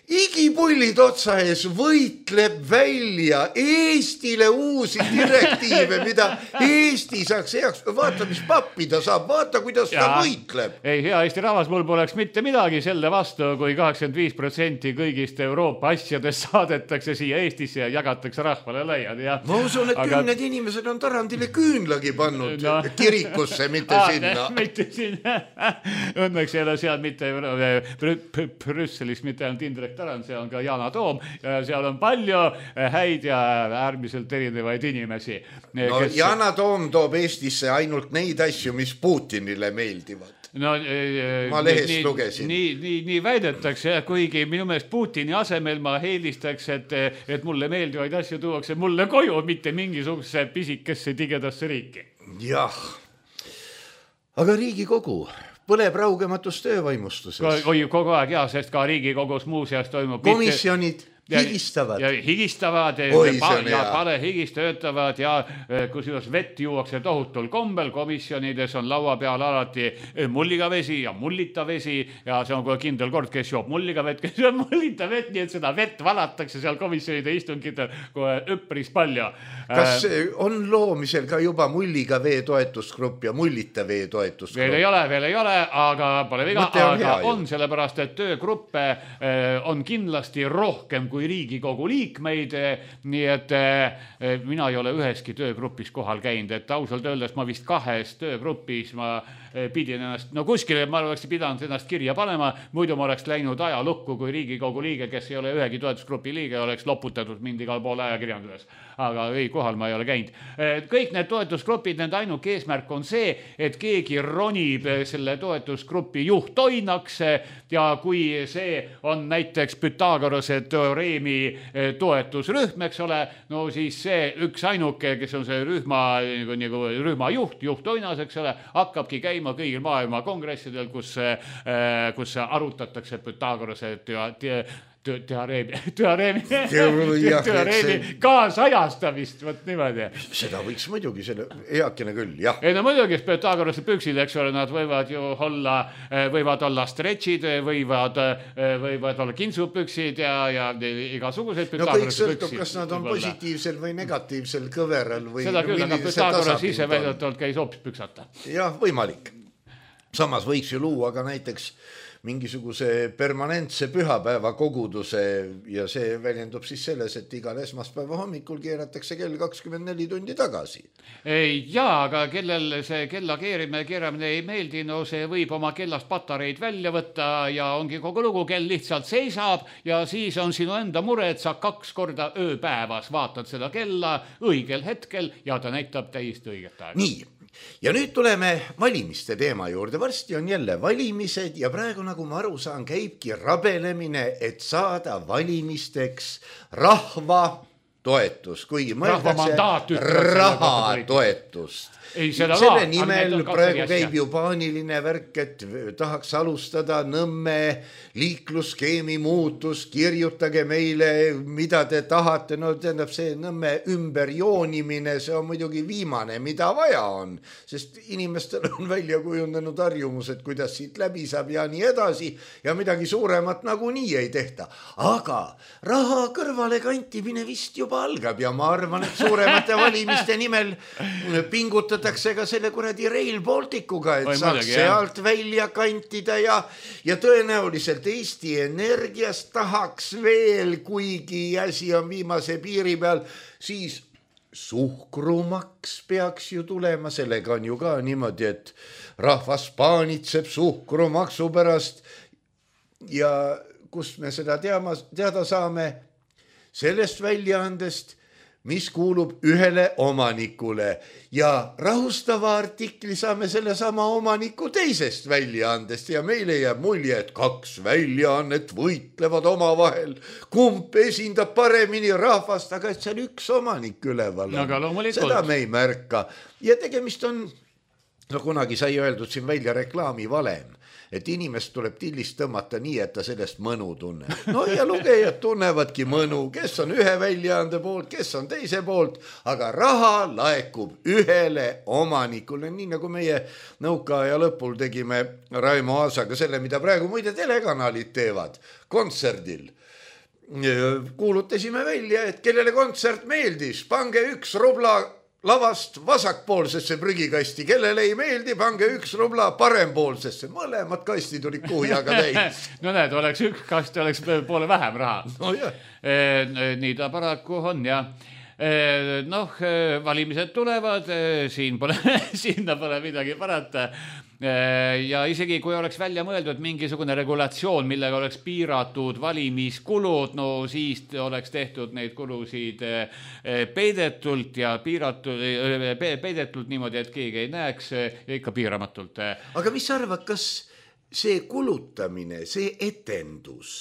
igipullid otsa ees võitleb välja Eestile uusi direktiive, mida Eesti saaks heaks. Vaata, mis pappi ta saab, vaata, kuidas ja, ta võitleb. Ei, hea Eesti rahvas, mul poleks mitte midagi selle vastu, kui kaheksakümmend viis protsenti kõigist Euroopa asjadest saadetakse siia Eestisse ja jagatakse rahvale laiad. Ja, ma usun, et aga... kümned inimesed on Tarandile küünlagi pannud no. kirikusse, mitte ah, sinna. Mitte sinna. Õnneks ei ole seal mitte Brüsselis mitte ainult Indrek Tarand, see on ka Yana Toom ja seal on palju häid ja äärmiselt erinevaid inimesi. No kes... Yana Toom toob Eestisse ainult neid asju, mis Putinile meeldivad. No, ma lehest nii, lugesin. Nii, nii, nii väidetakse, kuigi minu meelest Putini asemel ma eelistaks, et, et mulle meeldivaid asju tuuakse mulle koju, mitte mingisuguse pisikesse tigedasse riiki. Jah, aga Riigikogu... põleb raugematus töövaimustuses. Oi, kogu aeg, jah, sest ka Riigikogus muuseas toimub... Komisjonid. higistavad. Ja higistavad Oi, pa, see on ja hea. palehigis töötavad ja kusjuures vett juuakse tohutul kombel. Komisjonides on laua peal alati mulliga vesi ja mullita vesi ja see on kohe kindel kord, kes joob mulliga vett, kes joob mullita vett, nii et seda vett valatakse seal komisjonide istungitel kohe üpris palju. Kas on loomisel ka juba mulliga vee toetusgrupp ja mullita vee toetusgrupp? Veel ei ole, veel ei ole, aga pole viga, Mõte on aga hea on sellepärast, et töögruppe on kindlasti rohkem kui Riigikogu liikmeid, nii et mina ei ole üheski töögrupis kohal käinud, et ausalt öeldes ma vist kahes töögrupis ma pidin ennast, no kuskile ma oleks pidanud ennast kirja panema, muidu ma oleks läinud ajalukku kui Riigikogu liige, kes ei ole ühegi toetusgrupi liige, oleks loputatud mind igal pool ajakirjanduses. Aga ei, kohal ma ei ole käinud. Kõik need toetusgrupid, nende ainuke eesmärk on see, et keegi ronib selle toetusgrupi juhtoinaks ja kui see on näiteks Pythagorase teoreemi toetusrühm, eks ole, no siis see üks ainuke, kes on see rühma, nagu rühma juht, juhtoinas, eks ole, hakkabki käima kõigil maailma kongressidel, kus, kus arutatakse Pythagorase teoreemi, teoreemi, teoreemi kaasajastamist, võt niimoodi. Seda võiks muidugi selle heakene küll, jah. Ei no muidugi Pythagorase püksid, eks ole, nad võivad ju olla, võivad olla stretšid, võivad, võivad olla kintsupüksid ja, ja igasuguseid Pythagorase püksid. No kõik sõltub, kas nad on positiivsel või negatiivsel kõveral või seda küll, aga Pythagorase ise väidetavalt käis hoopis püksata. Jah, võimalik. Samas võiks ju luua ka näiteks mingisuguse permanentse pühapäeva koguduse ja see väljendub siis selles, et igal esmaspäeva hommikul keeratakse kell kakskümmend neli tundi tagasi. Jaa, aga kellel see kella keerimine, keeramine ei meeldi, no see võib oma kellast patareid välja võtta ja ongi kogu lugu, kell lihtsalt seisab ja siis on sinu enda mure, et sa kaks korda ööpäevas vaatad seda kella õigel hetkel ja ta näitab täiesti õiget aega. Nii. Ja nüüd tuleme valimiste teema juurde. Varsti on jälle valimised ja praegu, nagu ma aru saan, käibki rabelemine, et saada valimisteks rahva toetus, kuigi mõeldakse raha toetust. Ei, selle va, nimel praegu käib ju paaniline värk, et tahaks alustada Nõmme liiklusskeemi muutus, kirjutage meile, mida te tahate. No tähendab see Nõmme ümberjoonimine, see on muidugi viimane, mida vaja on, sest inimestel on välja kujundanud harjumused, kuidas siit läbi saab ja nii edasi ja midagi suuremat nagu nii ei tehta. Aga raha kõrvale kantimine vist juba algab ja ma arvan, et suuremate valimiste nimel pingutada ka selle kuradi Rail Balticuga, et Oi, saaks mõdagi, sealt välja kantida ja, ja tõenäoliselt Eesti Energiast tahaks veel, kuigi asi on viimase piiri peal, siis suhkrumaks peaks ju tulema, sellega on ju ka niimoodi, et rahvas paanitseb suhkrumaksu pärast ja kust me seda teama, teada saame sellest väljaandest, mis kuulub ühele omanikule ja rahustava artikli saame selle sama omaniku teisest väljaandest ja meile jääb mulje, et kaks väljaannet võitlevad omavahel, kumb esindab paremini rahvast, aga et seal üks omanik üleval on. Seda me ei märka ja tegemist on, no kunagi sai öeldud siin välja reklaami valem, et inimest tuleb tillist tõmmata nii, et ta sellest mõnu tunneb. No ja lugejad tunnevadki mõnu, kes on ühe väljaande poolt, kes on teise poolt, aga raha laekub ühele omanikule, nii nagu meie nõukaaja lõpul tegime Raimo Aasaga selle, mida praegu muide telekanalid teevad kontserdil. Kuulutasime välja, et kellele kontsert meeldis, pange üks rubla lavast vasakpoolsesse prügikasti, kellele ei meeldi, pange üks rubla parempoolsesse. Mõlemad kastid olid kuhjaga täis. No näed, oleks üks kast, oleks poole vähem raha. No jah. Nii ta paraku on ja noh, valimised tulevad, siin pole, sinna pole midagi parata. Ja isegi kui oleks välja mõeldud mingisugune regulatsioon, millega oleks piiratud valimiskulud, no siis oleks tehtud neid kulusid peidetult ja piiratud, peidetult niimoodi, et keegi ei näeks ja ikka piiramatult. Aga mis arvad, kas see kulutamine, see etendus,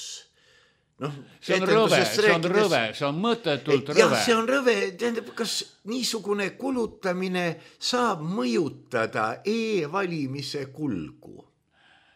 no, see on rõve, see on rõve, see on mõttetult rõve. Jah, see on rõve, tähendab, kas niisugune kulutamine saab mõjutada e-valimise kulgu?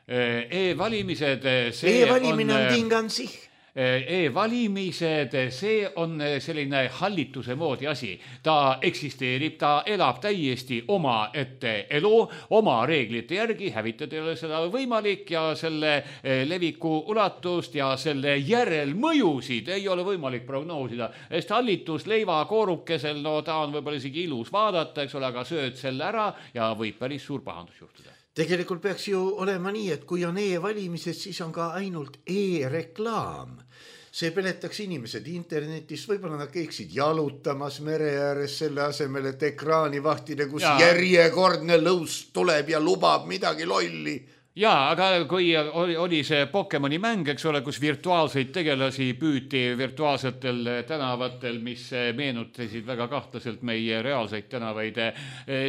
E-valimised, see E-valimine on, on tingansih. e-valimised, see on selline hallituse moodi asi. Ta eksisteerib, ta elab täiesti oma ette elu, oma reeglite järgi, hävitada ei ole seda võimalik ja selle leviku ulatust ja selle järelmõjusid ei ole võimalik prognoosida. Sest hallitus leiva koorukesel, no ta on võib-olla isegi ilus vaadata, eks ole, aga sööd selle ära ja võib päris suur pahandus juhtuda. Tegelikult peaks ju olema nii, et kui on e-valimised, siis on ka ainult e-reklaam. See peletaks inimesed internetist, võib-olla nad käiksid jalutamas mere ääres selle asemel, et ekraani vahtida, kus ja. järjekordne lõus tuleb ja lubab midagi lolli. Jaa, aga kui oli, oli see Pokemoni mäng, eks ole, kus virtuaalseid tegelasi püüti virtuaalsetel tänavatel, mis meenutasid väga kahtlaselt meie reaalseid tänavaid,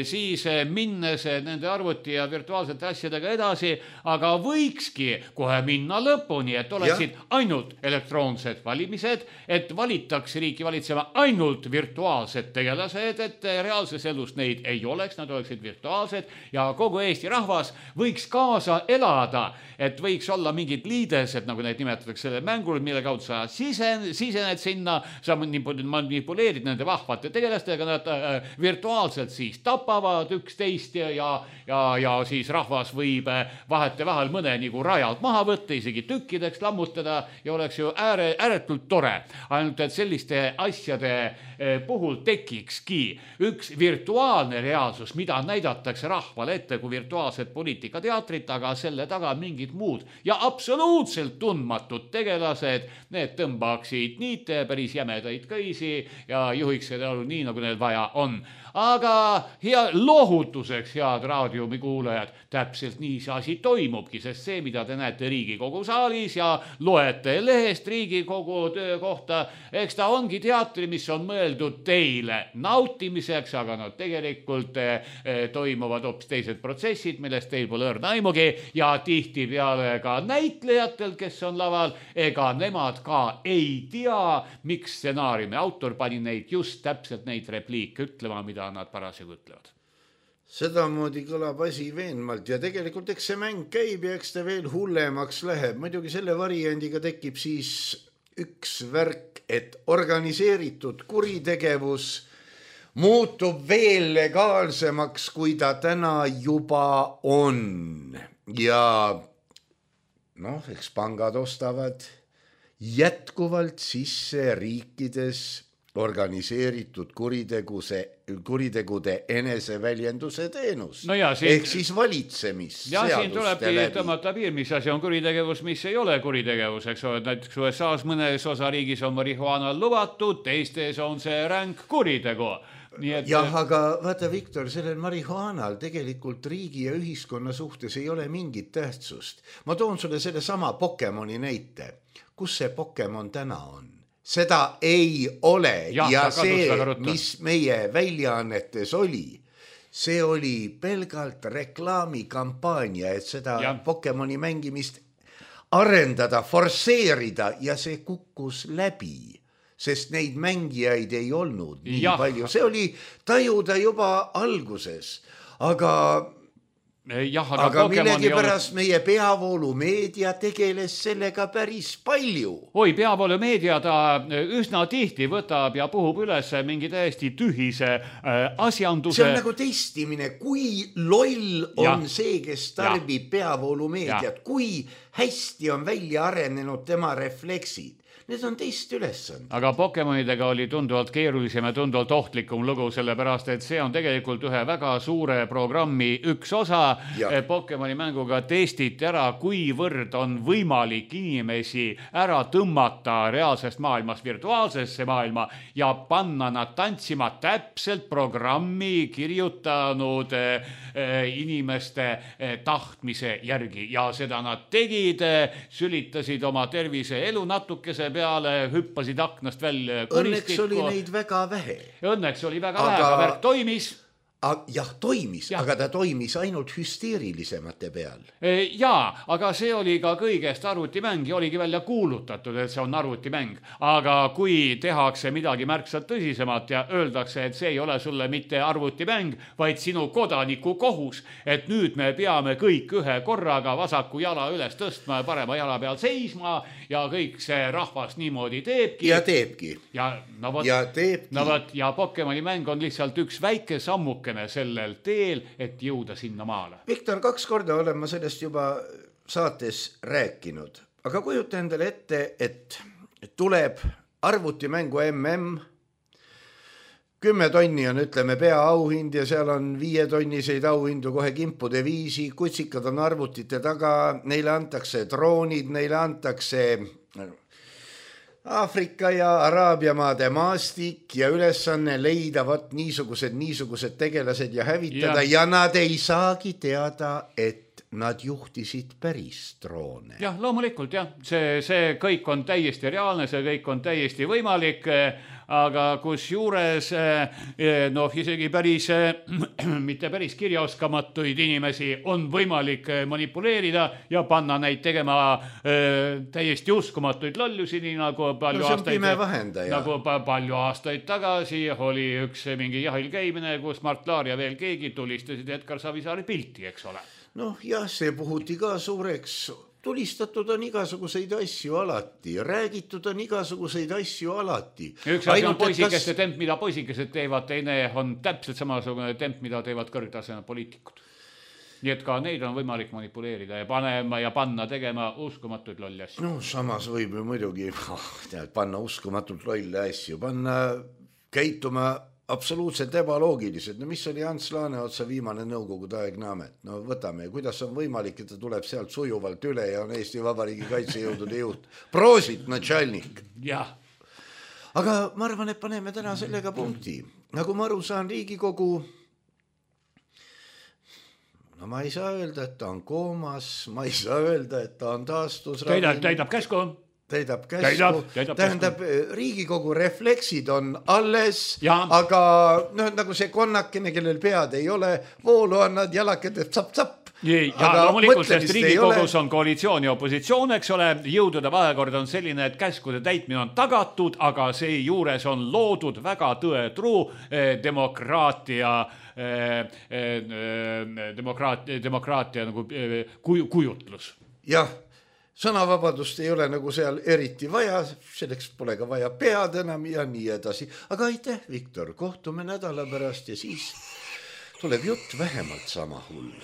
siis minnes nende arvuti ja virtuaalsete asjadega edasi, aga võikski kohe minna lõpuni, et oleksid ja. ainult elektroonsed valimised, et valitaks riiki valitsema ainult virtuaalsed tegelased, et reaalses elus neid ei oleks, nad oleksid virtuaalsed ja kogu Eesti rahvas võiks kaasa elada, et võiks olla mingid liidesed, nagu neid nimetatakse selle mängul, mille kaudu sa sisen, sisened sinna, sa manipuleerid nende vahvate tegelastega, nad äh, virtuaalselt siis tapavad üksteist ja, ja, ja, ja siis rahvas võib vahete vahel mõne nagu rajalt maha võtta, isegi tükkideks lammutada ja oleks ju ääre, ääretult tore. Ainult, et selliste asjade äh, puhul tekikski üks virtuaalne reaalsus, mida näidatakse rahvale ette kui virtuaalset poliitikateatrit, aga selle taga mingid muud ja absoluutselt tundmatud tegelased, need tõmbaksid niite päris jämedaid kõisi ja juhiks seda elu nii, nagu neil vaja on. Aga hea lohutuseks, head raadiomi kuulajad, täpselt nii see asi toimubki, sest see, mida te näete Riigikogu saalis ja loete lehest Riigikogu töö kohta, eks ta ongi teatri, mis on mõeldud teile nautimiseks, aga no tegelikult eh, toimuvad hoopis teised protsessid, millest teil pole õrna aimugi ja tihti peale ka näitlejatel, kes on laval, ega nemad ka ei tea, miks stsenaariumi autor pani neid just täpselt neid repliike ütlema, mida nad parasjagu ütlevad. Sedamoodi kõlab asi veenmalt ja tegelikult eks see mäng käib ja eks ta veel hullemaks läheb. Muidugi selle variandiga tekib siis üks värk, et organiseeritud kuritegevus muutub veel legaalsemaks, kui ta täna juba on. Ja noh, eks pangad ostavad jätkuvalt sisse riikides organiseeritud kuriteguse, kuritegude eneseväljenduse teenus. No ja, siin, ehk siis valitsemis. Ja siin tulebki tõmmata piir, mis asi on kuritegevus, mis ei ole kuritegevus, eks ole. Näiteks U S A-s mõnes osariigis on marihuana lubatud, teistes on see ränk kuritegu. Nii et... Jah, aga vaata, Viktor, sellel marihuanal tegelikult riigi ja ühiskonna suhtes ei ole mingit tähtsust. Ma toon sulle selle sama Pokemoni näite. Kus see Pokemon täna on? Seda ei ole ja, ja see, mis meie väljaannetes oli, see oli pelgalt reklaamikampaania, et seda ja. Pokemoni mängimist arendada, forseerida ja see kukkus läbi, sest neid mängijaid ei olnud nii ja. Palju. See oli tajuda juba alguses, aga... Jah, aga aga millegi pärast olnud... meie peavoolumeedia tegeles sellega päris palju. Oi, peavoolumeedia ta üsna tihti võtab ja puhub üles mingi täiesti tühise äh, asjanduse. See on nagu testimine, kui loll on ja. See, kes tarbib peavoolumeediat, kui hästi on välja arenenud tema refleksid. Need on teist ülesand. Aga Pokemonidega oli tunduvalt keerulisem ja tunduvalt ohtlikum lugu, sellepärast, et see on tegelikult ühe väga suure programmi üks osa. Ja. Pokemoni mänguga testiti ära, kuivõrd on võimalik inimesi ära tõmmata reaalsest maailmast virtuaalsesse maailma ja panna nad tantsima täpselt programmi kirjutanud inimeste tahtmise järgi. Ja seda nad tegid, sülitasid oma tervise elu natukese peale, hüppasid aknast välja. Õnneks oli neid väga vähe. Õnneks oli väga aga, vähe, aga värk toimis. jah, toimis, ja. aga ta toimis ainult hüsteerilisemate peal. Jaa, aga see oli ka kõigest arvutimäng ja oligi välja kuulutatud, et see on arvutimäng. Aga kui tehakse midagi märksa tõsisemat ja öeldakse, et see ei ole sulle mitte arvutimäng, vaid sinu kodaniku kohus, et nüüd me peame kõik ühe korraga vasaku jala üles tõstma ja parema jala peal seisma ja kõik see rahvas niimoodi teebki. Ja teebki. Ja, no võt, ja teebki. No võt, ja Pokemoni mäng on lihtsalt üks väike sammuke sellel teel, et jõuda sinna maale. Viktor, kaks korda olen ma sellest juba saates rääkinud, aga kujuta endale ette, et tuleb arvutimängu M M, kümme tonni on, ütleme, peaauhind ja seal on viietonniseid auhindu kohe kimpude viisi, kutsikad on arvutite taga, neile antakse droonid, neile antakse Aafrika ja Araabia maade maastik ja ülesanne leida vat niisugused, niisugused tegelased ja hävitada ja, ja nad ei saagi teada, et nad juhtisid päris droone. Jah, loomulikult jah, see, see kõik on täiesti reaalne, see kõik on täiesti võimalik, aga kus juures noh, isegi päris, mitte päris kirjaoskamatuid inimesi on võimalik manipuleerida ja panna neid tegema täiesti uskumatuid lollusi, nii nagu palju, no, aastaid, nagu palju aastaid tagasi oli üks mingi jahil käimine, kus Mart Laar ja veel keegi tulistasid Edgar Savisaari pilti, eks ole. Noh, jah, see puhuti ka suureks. Tulistatud on igasuguseid asju alati, räägitud on igasuguseid asju alati. Üks asi on poisikeste kas... temp, mida poisikesed teevad, teine on täpselt samasugune temp, mida teevad kõrgtaseme poliitikud. Nii et ka neid on võimalik manipuleerida ja panema ja panna tegema uskumatuid lolli asju. No samas võib ju muidugi tead, panna uskumatult lolli asju, panna käituma absoluutselt ebaloogilised. No mis oli Ants Laaneotsa viimane nõukogude aegne amet? No võtame, kuidas on võimalik, et ta tuleb sealt sujuvalt üle ja on Eesti Vabariigi kaitsejõudude juht. Proosit, natšalnik. Jah. Aga ma arvan, et paneme täna sellega punkti. Nagu ma aru saan, Riigikogu, no ma ei saa öelda, et ta on koomas, ma ei saa öelda, et ta on taastus. Täidab, täidab käsku. Täidab käsku, tähendab, Riigikogu refleksid on alles, ja. Aga no, nagu see konnakene, kellel pead ei ole, voolu on nad jalakad, tsapp-tsapp. Ja aga loomulikult, sest Riigikogus on koalitsioon ja opositsioon, eks ole, jõudude vahekord on selline, et käskude täitmine on tagatud, aga see juures on loodud väga tõetruu eh, demokraatia, eh, eh, demokraatia, demokraatia nagu, eh, kuj, kujutlus. Jah. Sõnavabadust ei ole nagu seal eriti vaja, selleks pole ka vaja pead enam ja nii edasi. Aga aitäh, Viktor, kohtume nädala pärast ja siis tuleb jutt vähemalt sama hull.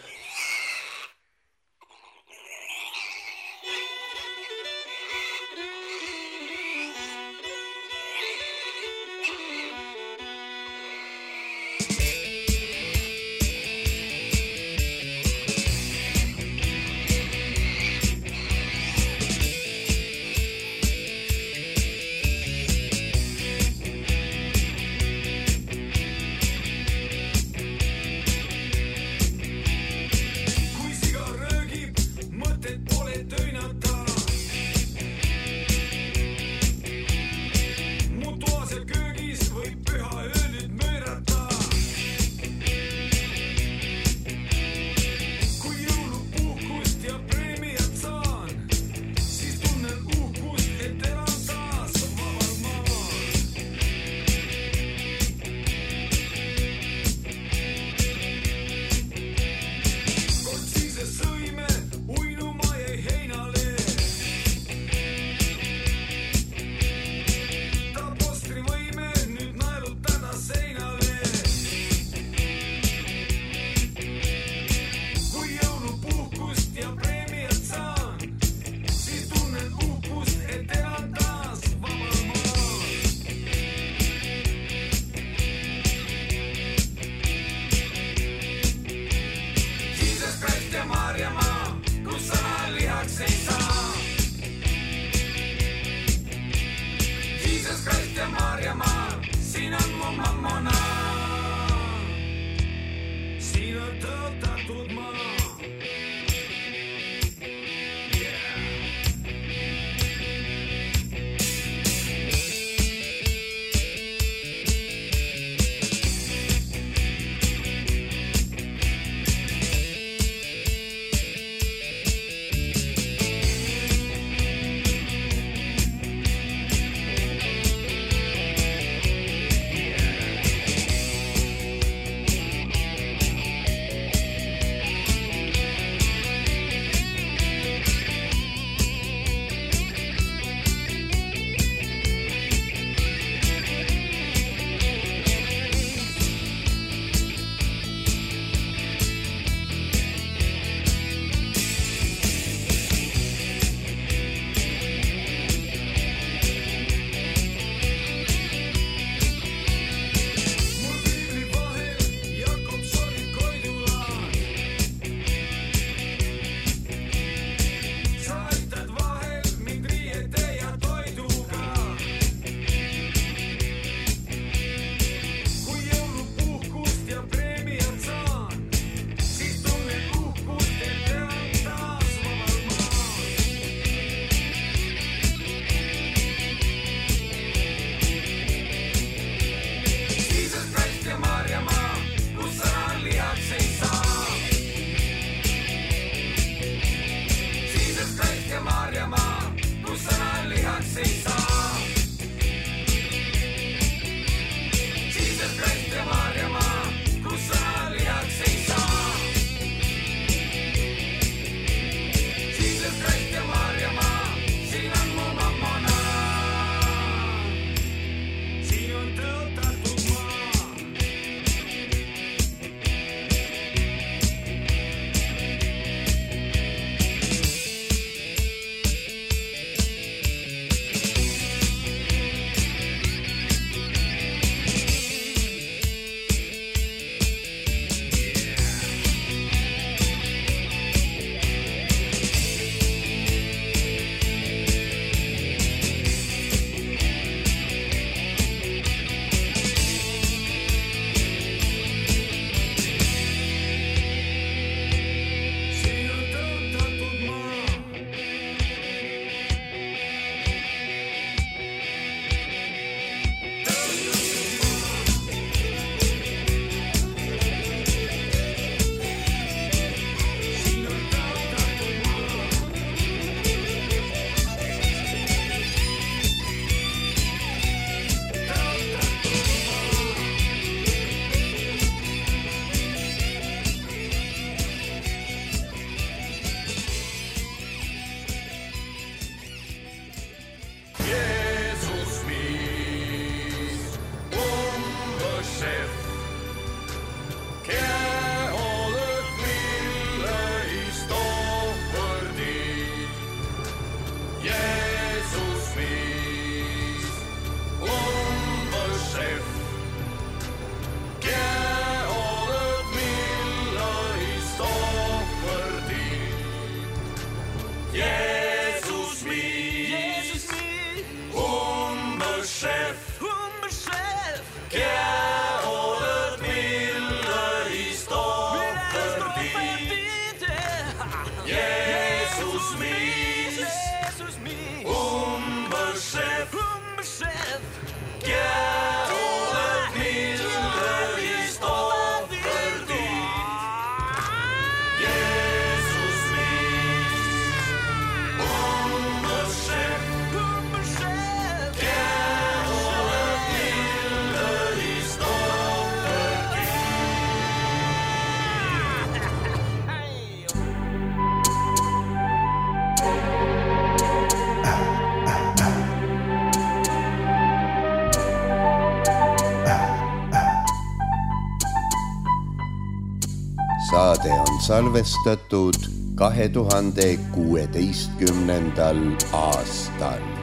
salvestatud kahe tuhande kuueteistkümnendal aastal.